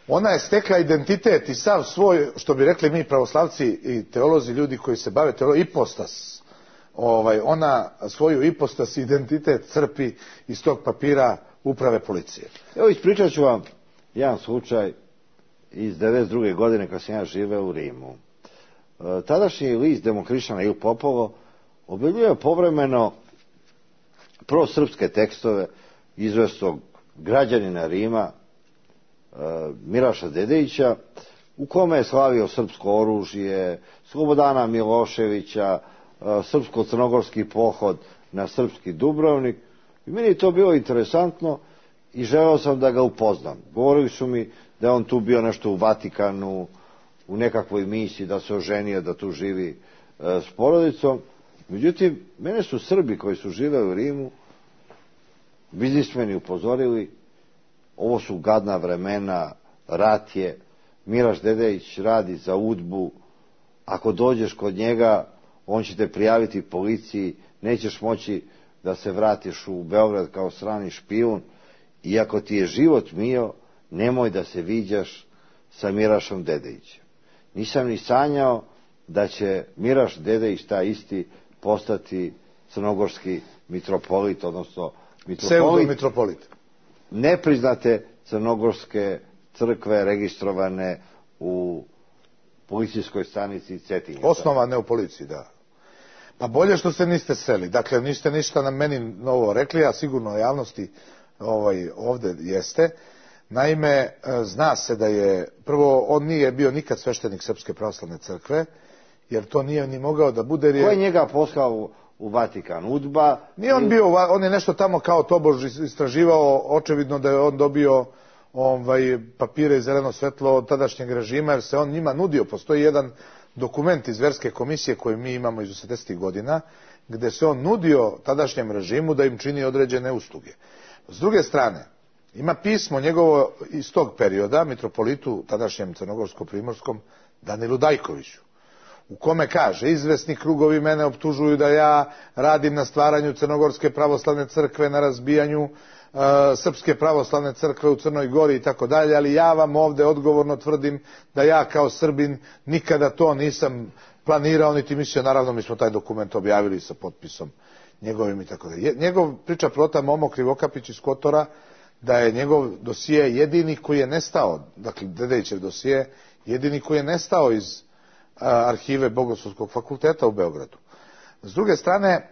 Ona je stekla identitet i sav svoj, što bi rekli mi pravoslavci i teolozi, ljudi koji se bave teologijom, ipostas. Ona svoju ipostas i identitet crpi iz tog papira uprave policije. Evo, ispričat ću vam jedan slučaj iz 92. godine kad sam ja živeo u Rimu. Tadašnji list Demohrišćana Il Popolo objavljuje povremeno prosrpske tekstove izvesnog građanina Rima Miraša Dedejića, u kome je slavio srpsko oružje, Slobodana Miloševića, srpsko-crnogorski pohod na srpski Dubrovnik. I meni je to bilo interesantno i želeo sam da ga upoznam. Govorili su mi da je on tu bio nešto u Vatikanu, u nekakvoj misiji, da se oženio, da tu živi s porodicom. Međutim, mene su Srbi koji su živeli u Rimu, biznismeni, upozorili, ovo su gadna vremena, rat je, Miraš Dedejić radi za UDBU, ako dođeš kod njega, on će te prijaviti policiji, nećeš moći da se vratiš u Beograd kao strani špijun, i ako ti je život mio, nemoj da se viđaš sa Mirašom Dedejićem. Nisam ni sanjao da će Miraš Dedejić, taj isti, postati crnogorski mitropolit, odnosno pseudo-mitropolit. Nepriznate crnogorske crkve registrovane u policijskoj stanici Cetinje. Osnovane u policiji, da. Pa bolje što se niste seli. Dakle, niste ništa na meni novo rekli, a sigurno javnosti ovdje jeste. Naime, zna se da je, prvo, on nije bio nikad sveštenik Srpske pravoslavne crkve, jer to nije ni mogao da bude. Ko je njega poslao u Vatikan? UDBA? Nije on bio, on je nešto tamo kao tobož istraživao, očevidno da je on dobio papire i zeleno svetlo od tadašnjeg režima, jer se on njima nudio. Postoji jedan dokument iz Verske komisije koji mi imamo iz 80. godina, gdje se on nudio tadašnjem režimu da im čini određene usluge. S druge strane, ima pismo njegovo iz tog perioda, mitropolitu tadašnjem crnogorsko-primorskom Danilu Dajkoviću, u kome kaže: izvesni krugovi mene optužuju da ja radim na stvaranju Crnogorske pravoslavne crkve, na razbijanju Srpske pravoslavne crkve u Crnoj Gori i tako dalje, ali ja vam ovdje odgovorno tvrdim da ja kao Srbin nikada to nisam planirao niti mislio. Naravno, mi smo taj dokument objavili sa potpisom njegovim i tako dalje. Njegov priča prota Momo Krivokapić iz Kotora da je njegov dosije jedini koji je nestao, dakle Dedejićev dosije, jedini koji je nestao iz arhive Bogoslovskog fakulteta u Beogradu. S druge strane,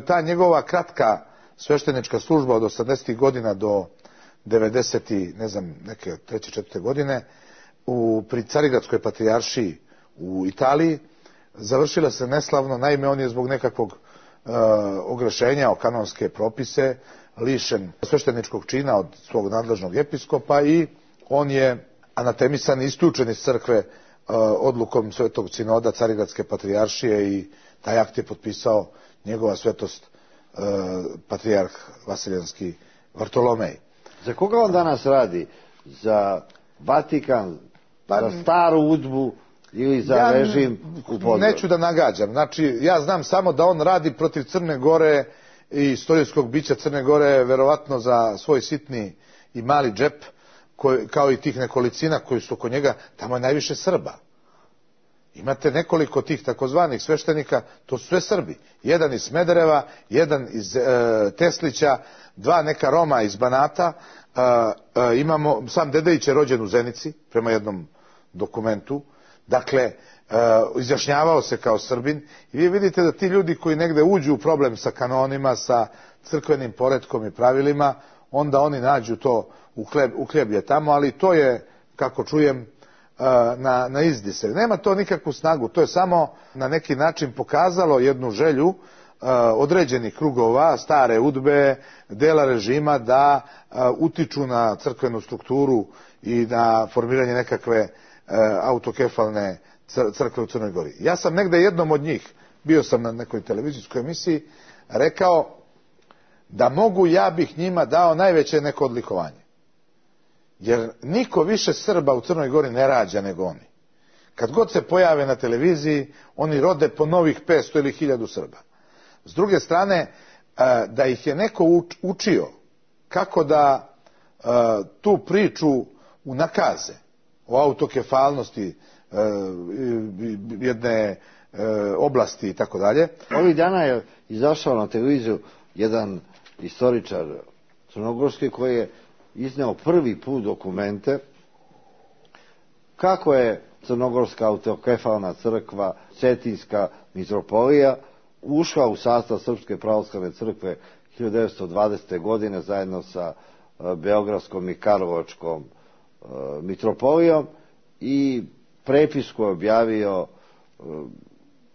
ta njegova kratka sveštenička služba od 80. godina do 90. ne znam, neke 3. 4. godine pri Carigradskoj patrijaršiji u Italiji završila se neslavno. Naime, on je zbog nekakvog ogrešenja o kanonske propise lišen svešteničkog čina od svog nadležnog episkopa i on je anatemisan i isključen iz crkve odlukom Svetog sinoda Carigradske patrijaršije i taj akt je potpisao njegova svetost patrijarh Vasiljanski Vartolomej. Za koga on danas radi? Za Vatikan, za staru udbu ili za režim u Podgorici? Neću da nagađam. Znači, ja znam samo da on radi protiv Crne Gore i istorijskog bića Crne Gore, verovatno za svoj sitni i mali džep, kao i tih nekolicina koji su oko njega. Tamo je najviše Srba. Imate nekoliko tih takozvanih sveštenika, to su sve Srbi. Jedan iz Smedereva, jedan iz Teslića, dva neka Roma iz Banata. Imamo, sam Dedejić je rođen u Zenici, prema jednom dokumentu. Dakle, izjašnjavao se kao Srbin. I vi vidite da ti ljudi koji negde uđu u problem sa kanonima, sa crkvenim poretkom i pravilima, onda oni nađu to uhljeblje tamo, ali to je, kako čujem, na izdise. Nema to nikakvu snagu, to je samo na neki način pokazalo jednu želju određenih krugova, stare udbe, dela režima da utiču na crkvenu strukturu i na formiranje nekakve autokefalne crkve u Crnoj Gori. Ja sam negde jednom od njih, bio sam na nekoj televizijskoj emisiji, rekao da mogu, ja bih njima dao najveće neko odlikovanje. Jer niko više Srba u Crnoj Gori ne rađa nego oni. Kad god se pojave na televiziji, oni rode po novih 500 ili 1000 Srba. S druge strane, da ih je neko učio kako da tu priču unakaze o autokefalnosti jedne oblasti i tako dalje. Ovih dana je izašao na televiziju jedan istoričar crnogorski koji je izneo prvi put dokumente kako je crnogorska autokefalna crkva, Cetinska mitropolija ušla u sastav Srpske pravoslavne crkve 1920. godine zajedno sa Beogradskom i Karlovačkom mitropolijom i prepisku je objavio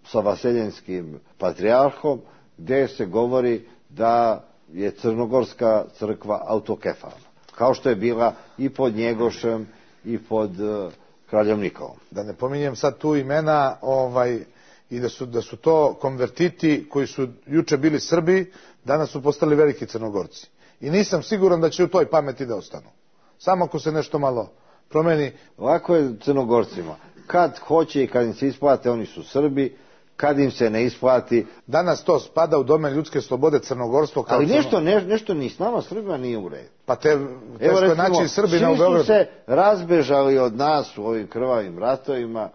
sa Vaseljanskim patrijarhom gdje se govori da je crnogorska crkva autokefalna, kao što je bila i pod Njegošem i pod kraljem Nikolom. Da ne pominjem sad tu imena i da su to konvertiti koji su juče bili Srbi, danas su postali veliki Crnogorci. I nisam siguran da će u toj pameti da ostanu. Samo ako se nešto malo promeni. Ovako je Crnogorcima. Kad hoće i kad im se isplate, oni su Srbi. Kad im se ne isplati... Danas to spada u domen ljudske slobode, crnogorstvo. Ali nešto ni s nama Srbima nije u redu. Pa teško je naći Srbina u Beogradu. Svi su se razbežali od nas u ovim krvavim ratovima.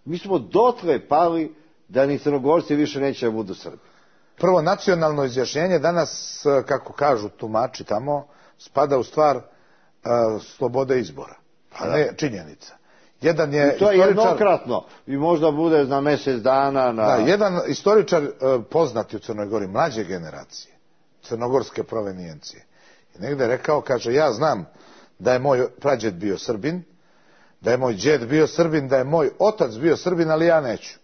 Mi smo dotle pali da ni Crnogorci više neće da budu Srbi. Prvo, nacionalno izjašnjenje danas, kako kažu tumači tamo, spada u stvar slobode izbora, a ne činjenica. Jedan je to je jednokratno i možda bude na mjesec dana. Da, jedan istoričar poznati u Crnoj Gori, mlađe generacije, crnogorske provenijencije, je negde rekao, kaže, ja znam da je moj prađed bio Srbin, da je moj džed bio Srbin, da je moj otac bio Srbin, ali ja neću.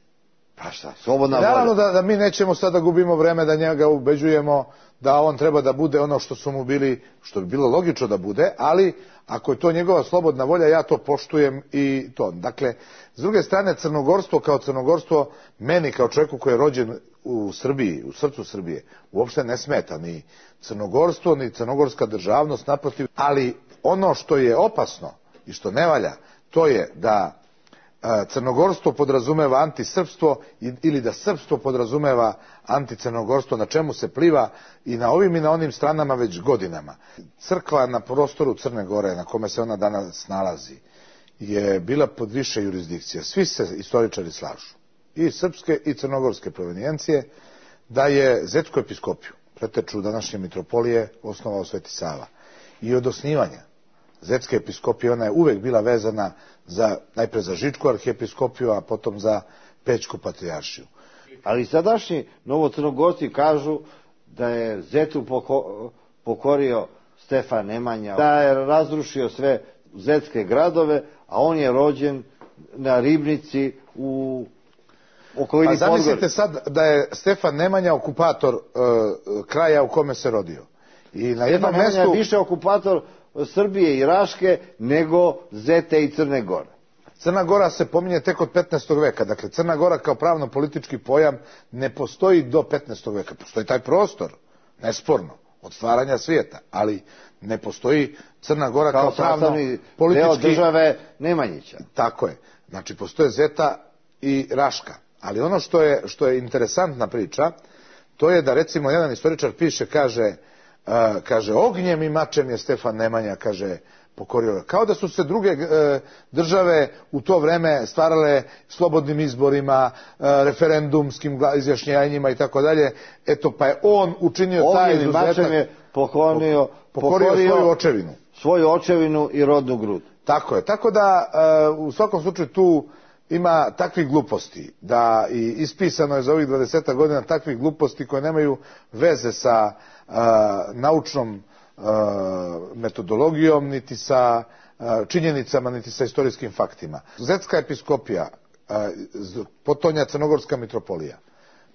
Pa šta, slobodna volja. Naravno da mi nećemo sada gubimo vreme da njega ubeđujemo da on treba da bude ono što su mu bili, što bi bilo logično da bude, ali ako je to njegova slobodna volja, ja to poštujem i to. Dakle, s druge strane, crnogorstvo kao crnogorstvo, meni kao čovjeku koji je rođen u Srbiji, u srcu Srbije, uopšte ne smeta ni crnogorstvo, ni crnogorska državnost, naprotiv, ali ono što je opasno i što ne valja, to je da crnogorstvo podrazumeva antisrpstvo ili da srpstvo podrazumeva anticrnogorstvo, na čemu se pliva i na ovim i na onim stranama već godinama. Crkva na prostoru Crne Gore, na kome se ona danas nalazi, je bila pod više jurisdikcija. Svi se istoričari slažu, i srpske i crnogorske provenijencije, da je Zetsku episkopiju, preteču današnje mitropolije, osnovao Sveti Sava. I od osnivanja Zetske episkopije ona je uvek bila vezana najpre za Žičku arhiepiskopiju, a potom za Pećku patrijaršiju. Ali sadašnji novocrnogorci kažu da je Zetu pokorio Stefan Nemanja, da je razrušio sve zetske gradove, a on je rođen na Ribnici u okolini Podgorice. A zamislite sad da je Stefan Nemanja okupator kraja u kome se rodio. I na jednom mestu Stefan Nemanja je više okupator Srbije i Raške nego Zete i Crne Gore. Crna Gora se pominje tek od 15. veka. Dakle, Crna Gora kao pravno-politički pojam ne postoji do 15. veka. Postoji taj prostor, nesporno, od stvaranja svijeta, ali ne postoji Crna Gora kao pravno-politički deo države Nemanjića. Tako je. Znači, postoje Zeta i Raška. Ali ono što je interesantna priča, to je da recimo jedan istoričar piše, kaže ognjem i mačem je Stefan Nemanja, kaže, pokorio. Kao da su se druge države u to vreme stvarale slobodnim izborima, referendumskim izjašnjenjima i tako dalje. Eto, pa je on učinio taj izuzetak. Ognjem i mačem je pokorio svoju očevinu. Svoju očevinu i rodnu grud. Tako je. Tako da u svakom slučaju tu ima takvih gluposti, da i ispisano je za ovih 20 godina takvih gluposti koje nemaju veze sa naučnom metodologijom, niti sa činjenicama, niti sa istorijskim faktima. Zetska episkopija, potonja Crnogorska mitropolija,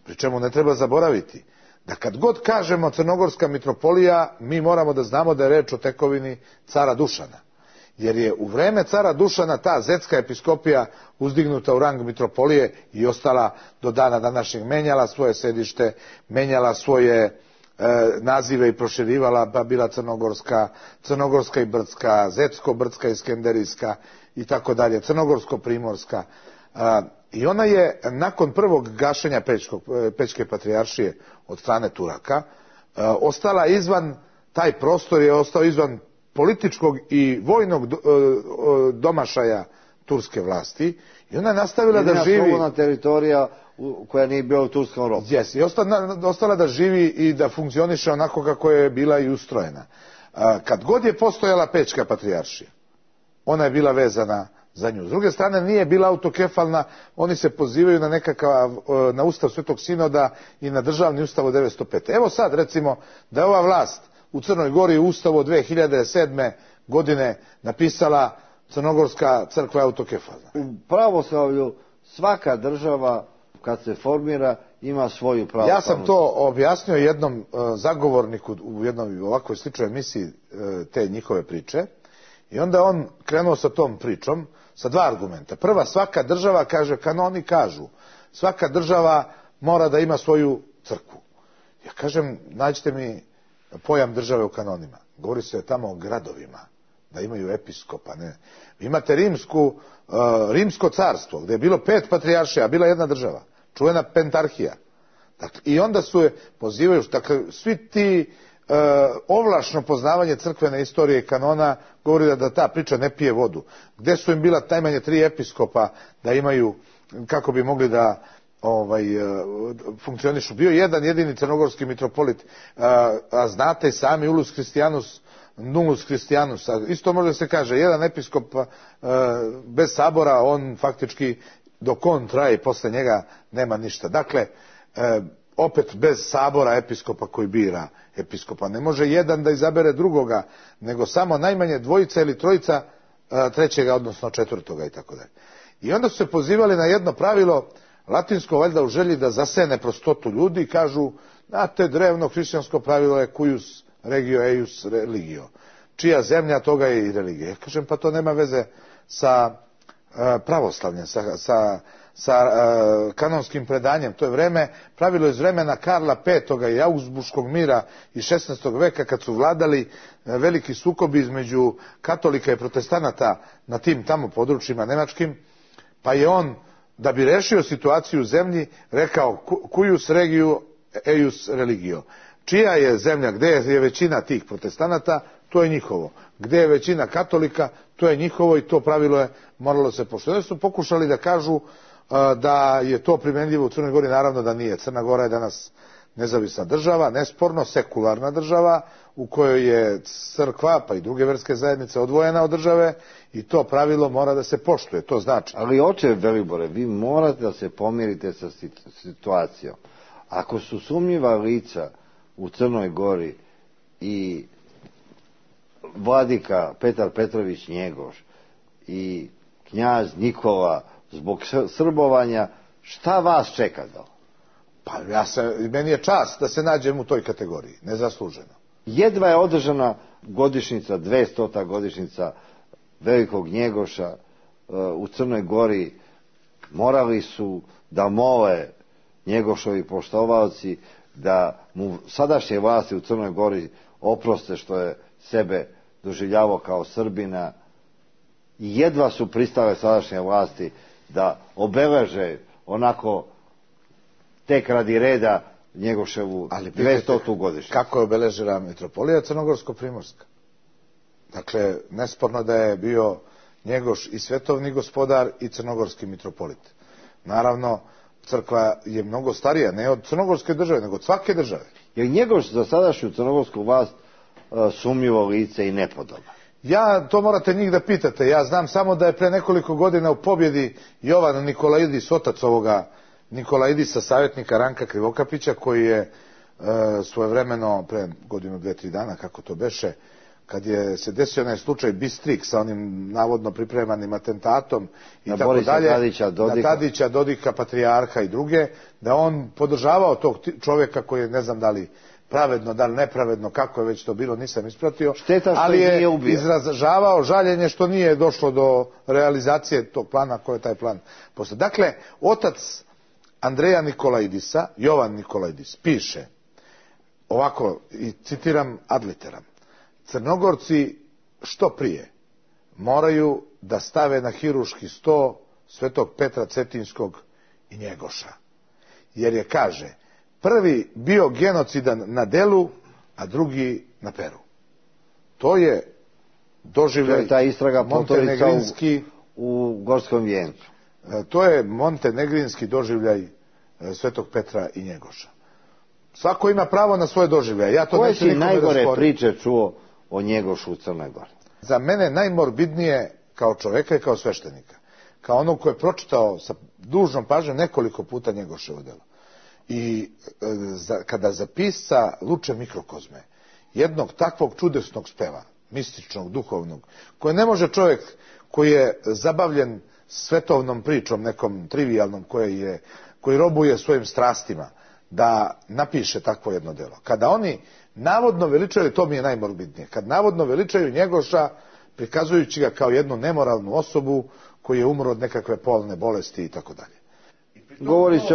pri čemu ne treba zaboraviti da kad god kažemo Crnogorska mitropolija, mi moramo da znamo da je reč o tekovini cara Dušana. Jer je u vreme cara Dušana ta zetska episkopija uzdignuta u rang mitropolije i ostala do dana današnjeg, menjala svoje sedište, menjala svoje nazive i proširivala, pa bila Crnogorska i Brdska, Zetsko-Brdska i Skenderijska i tako dalje, Crnogorsko-Primorska. I ona je nakon prvog gašenja Pećke patrijaršije od strane Turaka ostala izvan, taj prostor je ostao izvan političkog i vojnog domašaja turske vlasti i ona je nastavila da živi... slobodna teritorija koja nije bila u turskom robu. Yes, i ostala da živi i da funkcioniše onako kako je bila i ustrojena. Kad god je postojala Pećka patrijaršija, ona je bila vezana za nju. S druge strane, nije bila autokefalna, oni se pozivaju na Ustav Svetog Sinoda i na državni ustav od 905. Evo sad, recimo, da je ova vlast u Crnoj Gori u Ustavu od 2007. godine napisala Crnogorska crkva je autokefalna. U pravoslavlju svaka država kad se formira ima svoju pravoslavnu. Ja sam to objasnio jednom zagovorniku u jednoj ovakvoj sličnoj emisiji te njihove priče i onda on krenuo sa tom pričom sa dva argumenta. Prva, svaka država, kaže, kanoni kažu, svaka država mora da ima svoju crkvu. Ja kažem, nađite mi pojam države u kanonima. Govori se tamo o gradovima, da imaju episkopa. Ne. Vi imate Rimsko carstvo, gdje je bilo 5 patrijaršija, a bila jedna država, čuvena pentarhija. Dakle, i onda su je pozivaju, dakle, svi ti ovlašno poznavanje crkvene istorije i kanona govori da ta priča ne pije vodu. Gdje su im bila najmanje 3 episkopa da imaju, kako bi mogli da funkcionišu. Bio jedan jedini crnogorski mitropolit, a znate i sami Ulus Christianus, Nullus Christianus, isto može se kaže, jedan episkop bez sabora, on faktički dok on traje posle njega nema ništa. Dakle, opet bez sabora episkopa koji bira episkopa. Ne može jedan da izabere drugoga, nego samo najmanje 2 ili 3 trećega, odnosno 4. i tako dalje. I onda su se pozivali na jedno pravilo latinsko, valjda u želji da zasene prostotu ljudi, kažu, znate, drevno hrišćansko pravilo je cuius regio eius religio. Čija zemlja, toga je i religija. Ja kažem, pa to nema veze sa pravoslavljem, sa kanonskim predanjem. To je pravilo iz vremena Karla V. i Augsburškog mira iz 16. veka, kad su vladali veliki sukobi između katolika i protestanata na tim tamo područjima nemačkim, pa je on, da bi rešio situaciju u zemlji, rekao cuius regio eius religio. Čija je zemlja, gdje je većina tih protestanata, to je njihovo. Gdje je većina katolika, to je njihovo i to pravilo je moralo se poštovati. Oni su pokušali da kažu da je to primjenljivo u Crnoj Gori, naravno da nije. Crna Gora je danas nezavisna država, nesporno sekularna država u kojoj je crkva pa i druge verske zajednice odvojena od države i to pravilo mora da se poštuje, to znači. Ali oče Velibore, vi morate da se pomirite sa situacijom. Ako su sumnjiva lica u Crnoj Gori i vladika Petar Petrović Njegoš i knjaz Nikola zbog srbovanja, šta vas čeka da? Pa meni je čast da se nađem u toj kategoriji, nezasluženo. Jedva je održana godišnjica, 200. godišnjica velikog Njegoša u Crnoj Gori. Morali su da mole Njegošovi poštovalci da mu sadašnje vlasti u Crnoj Gori oproste što je sebe doživljavao kao Srbina. I jedva su pristale sadašnje vlasti da obeleže onako tek radi reda Njegoševu 200. godišnjicu. Kako je obeležila mitropolija Crnogorsko-primorska? Dakle, nesporno da je bio Njegoš i svetovni gospodar i crnogorski mitropolit. Naravno, crkva je mnogo starija, ne od crnogorske države, nego od svake države. Je Njegoš za sadašnju crnogorsku vlast sumnjivo lice i nepodoban? To morate njih da pitate. Ja znam samo da je pre nekoliko godina u pobjedi Jovan Nikolaidis, otac ovoga Nikolaidisa, savjetnika Ranka Krivokapića, koji je svojevremeno, pre godinu, 2-3 dana, kako to beše, kad je se desio onaj slučaj Bistrik sa onim navodno pripremanim atentatom i na tako dalje, na Tadića, Dodika, patrijarha i druge, da on podržavao tog čovjeka koji je, ne znam da li pravedno, da li nepravedno, kako je već to bilo, nisam ispratio, ali je izražavao žaljenje što nije došlo do realizacije tog plana, koji je taj plan postao. Dakle, otac Andreja Nikolaidisa, Jovan Nikolaidis, piše ovako, i citiram ad literam: Crnogorci što prije moraju da stave na hiruški sto Svetog Petra Cetinskog i Njegoša, jer je, kaže, prvi bio genocidan na delu, a drugi na peru. To je doživljaj ta istraga montenegrinski u Gorskom vijencu. To je montenegrinski doživljaj Svetog Petra i Njegoša. Svako ima pravo na svoje doživljaje. Ja to koje si najgore priče čuo o Njegošu u Crnoj Gori? Za mene najmorbidnije kao čoveka i kao sveštenika, kao onog ko je pročitao sa dužnom pažnjom nekoliko puta Njegoševo delo. I kada za pisca Luče Mikrokozme, jednog takvog čudesnog speva, mističnog, duhovnog, koje ne može čovjek koji je zabavljen svetovnom pričom, nekom trivijalnom, koji robuje svojim strastima, da napiše takvo jedno delo. Kada oni navodno veličaju, to mi je najmorbidnije, kad navodno veličaju Njegoša, prikazujući ga kao jednu nemoralnu osobu koji je umro od nekakve polne bolesti i tako dalje. Govori se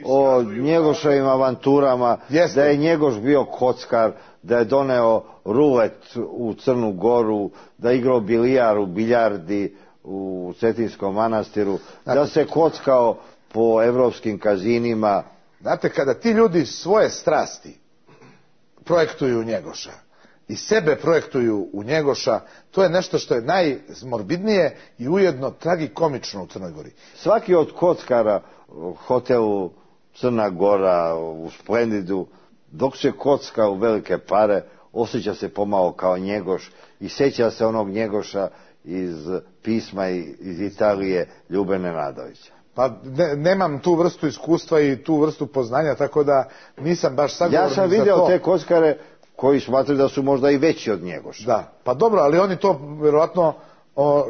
o Njegoševim avanturama, da je Njegoš bio kockar, da je doneo rulet u Crnu Goru, da je igrao bilijar u biljardi u Cetinskom manastiru, da se kockao po evropskim kazinima. Znate, kada ti ljudi svoje strasti projektuju u Njegoša i sebe projektuju u Njegoša, to je nešto što je najmorbidnije i ujedno tragikomično u Crnoj Gori. Svaki od kockara u hotelu Crna Gora, u Splendidu, dok se kocka u velike pare, osjeća se pomalo kao Njegoš i sjeća se onog Njegoša iz pisma iz Italije Ljube Nenadovića. Pa nemam tu vrstu iskustva i tu vrstu poznanja, tako da nisam baš sagovornik za to. Ja sam vidio te kockare koji smatraju da su možda i veći od Njegoša. Da, pa dobro, ali oni to vjerojatno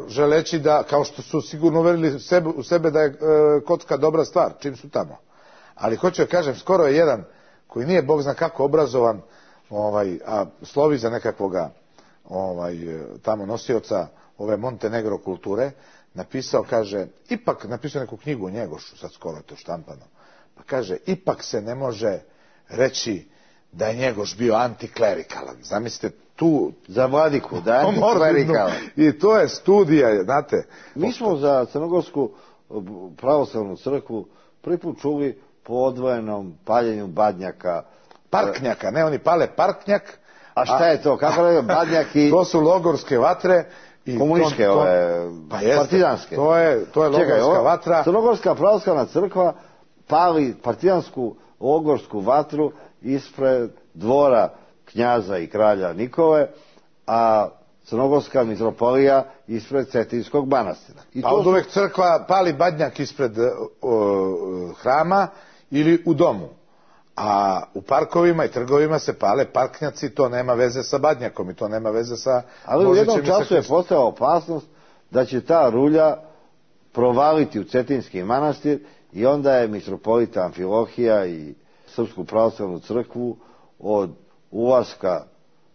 želeći da, kao što su sigurno uverili u sebe da je kocka dobra stvar, čim su tamo. Ali hoću da kažem, skoro je jedan koji nije bog zna kako obrazovan, a slovi za nekakvoga tamo nosioca ove Montenegro kulture, napisao, kaže, ipak, napisao neku knjigu o Njegošu, sad skoro je to štampano, pa kaže, ipak se ne može reći da je Njegoš bio antiklerikalan. Zamislite tu... Za Vladiku, da je antiklerikalan. I to je studija, znate. Mi smo za Crnogorsku pravoslavnu crkvu prvi put čuli po odvojenom paljenju badnjaka. Parknjaka, ne, oni pale parknjak. A šta je to? Kako je badnjak i... To su logorske vatre. Komunističke, partizanske. To je logorska vatra. Crnogorska pravoslavna crkva pali partizansku logorsku vatru ispred dvora knjaza i kralja Nikole, a Crnogorska mitropolija ispred Cetinskog manastira. Pa od uvek crkva pali badnjak ispred hrama ili u domu. A u parkovima i trgovima se pale parknjaci, to nema veze sa badnjakom i to nema veze sa... Ali u jednom času je postala opasnost da će ta rulja provaliti u Cetinski manastir i onda je mitropolita Amfilohija i Srpsku pravoslavnu crkvu od ulaska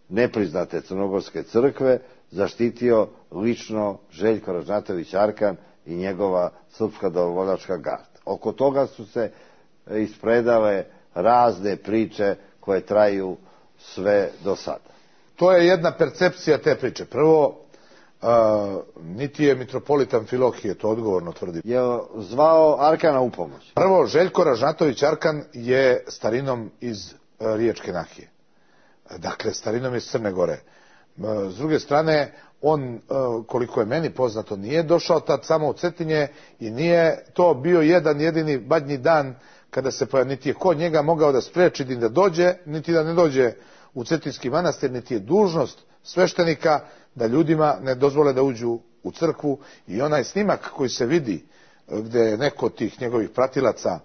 nepriznate crnogorske crkve zaštitio lično Željko Ražnatović Arkan i njegova srpska dobrovoljačka garda. Oko toga su se ispredale razne priče koje traju sve do sada. To je jedna percepcija te priče. Prvo, niti je mitropolit Amfilohije, to odgovorno tvrdi. Je zvao Arkana u pomoć? Prvo, Željko Ražnatović Arkan je starinom iz Riječke Nahije. Dakle, starinom iz Crne Gore. S druge strane, on, koliko je meni poznato, nije došao tad samo u Cetinje i nije to bio jedan jedini badnji dan kada se niti je ko njega mogao da spreči ni da dođe, niti da ne dođe u Cetinski manastir, niti je dužnost sveštenika da ljudima ne dozvole da uđu u crkvu. I onaj snimak koji se vidi gde neko od tih njegovih pratilaca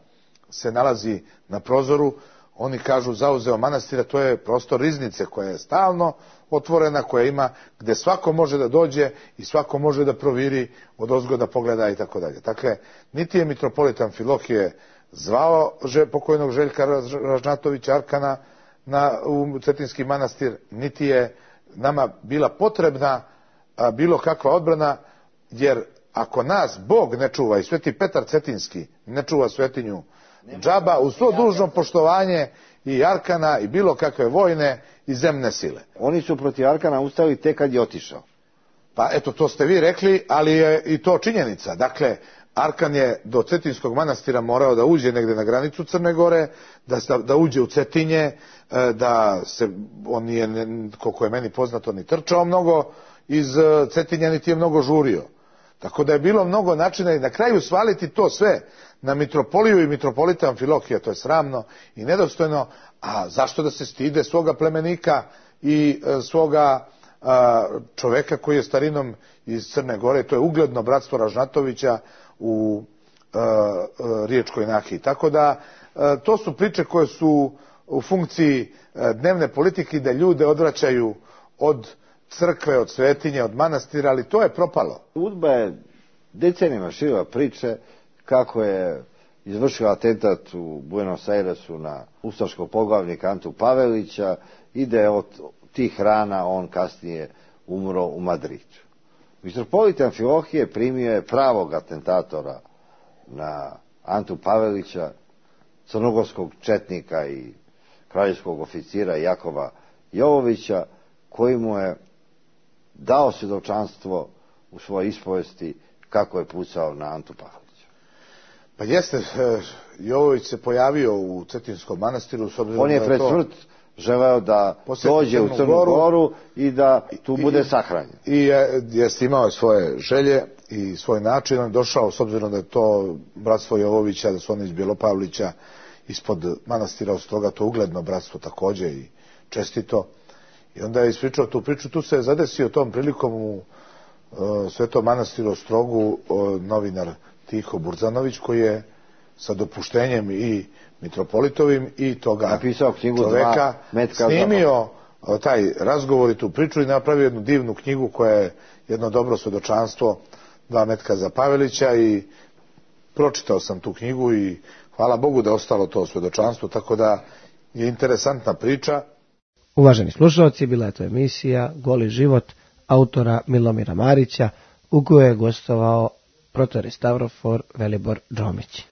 se nalazi na prozoru, oni kažu zauzeo manastira, to je prostor riznice koja je stalno otvorena, koja ima, gde svako može da dođe i svako može da proviri od ozgoda pogleda i tako dalje. Dakle, niti je mitropolit Amfilohije zvao pokojnog Željka Ražnatovića Arkana u Cetinski manastir, niti je nama bila potrebna bilo kakva odbrana, jer ako nas Bog ne čuva i Sveti Petar Cetinski ne čuva svetinju džaba, uz svo dužno poštovanje i Arkana i bilo kakve vojne i zemne sile. Oni su protiv Arkana ustali tek kad je otišao. Pa eto, to ste vi rekli, ali je i to činjenica. Dakle, Arkan je do Cetinskog manastira morao da uđe negde na granicu Crne Gore, da uđe u Cetinje, on nije, koliko je meni poznato, ni trčao mnogo iz Cetinja, niti je mnogo žurio. Tako da je bilo mnogo načina i na kraju svaliti to sve na mitropoliju i mitropolita Amfilohija, to je sramno i nedostojno. A zašto da se stide svoga plemenika i svoga čoveka koji je starinom iz Crne Gore, to je ugledno bratstvo Ražnatovića u Riječkoj Nahiji. Tako da to su priče koje su u funkciji dnevne politike, da ljude odvraćaju od crkve, od svetinje, od manastira, ali to je propalo. UDBA je decenijama širila priče kako je izvršila atentat u Buenos Airesu na ustaškog poglavnika Antu Pavelića i da je od tih rana on kasnije umro u Madridu. Mitropolit Amfilohije primio je pravog atentatora na Antu Pavelića, crnogorskog četnika i kraljevskog oficira Jakova Jovovića, koji mu je dao svjedočanstvo u svojoj ispovesti kako je pucao na Antu Pavelića. Pa jeste, Jovović se pojavio u Cetinskom manastiru. On je pred smrt želeo da dođe u Crnu Goru i da tu bude sahranjen. I jeste imao svoje želje i svoj način. On je došao, s obzirom da je to bratstvo Jovovića, da su oni iz Bjelopavlića, ispod manastira Ostroga, to ugledno bratstvo takođe i čestito. I onda je ispričao tu priču. Tu se je zadesio tom prilikom u Svetom manastiru Ostrogu novinar Tiho Burzanović, koji je sa dopuštenjem i mitropolitovim i toga čoveka snimio taj razgovor i tu priču i napravio jednu divnu knjigu koja je jedno dobro svedočanstvo, 2 metka za Pavelića, i pročitao sam tu knjigu i hvala Bogu da je ostalo to svedočanstvo, tako da je interesantna priča. Uvaženi slušalci, bila je to emisija Goli život autora Milomira Marića, u kojoj je gostovao protorej Stavrofor Velibor Đomić.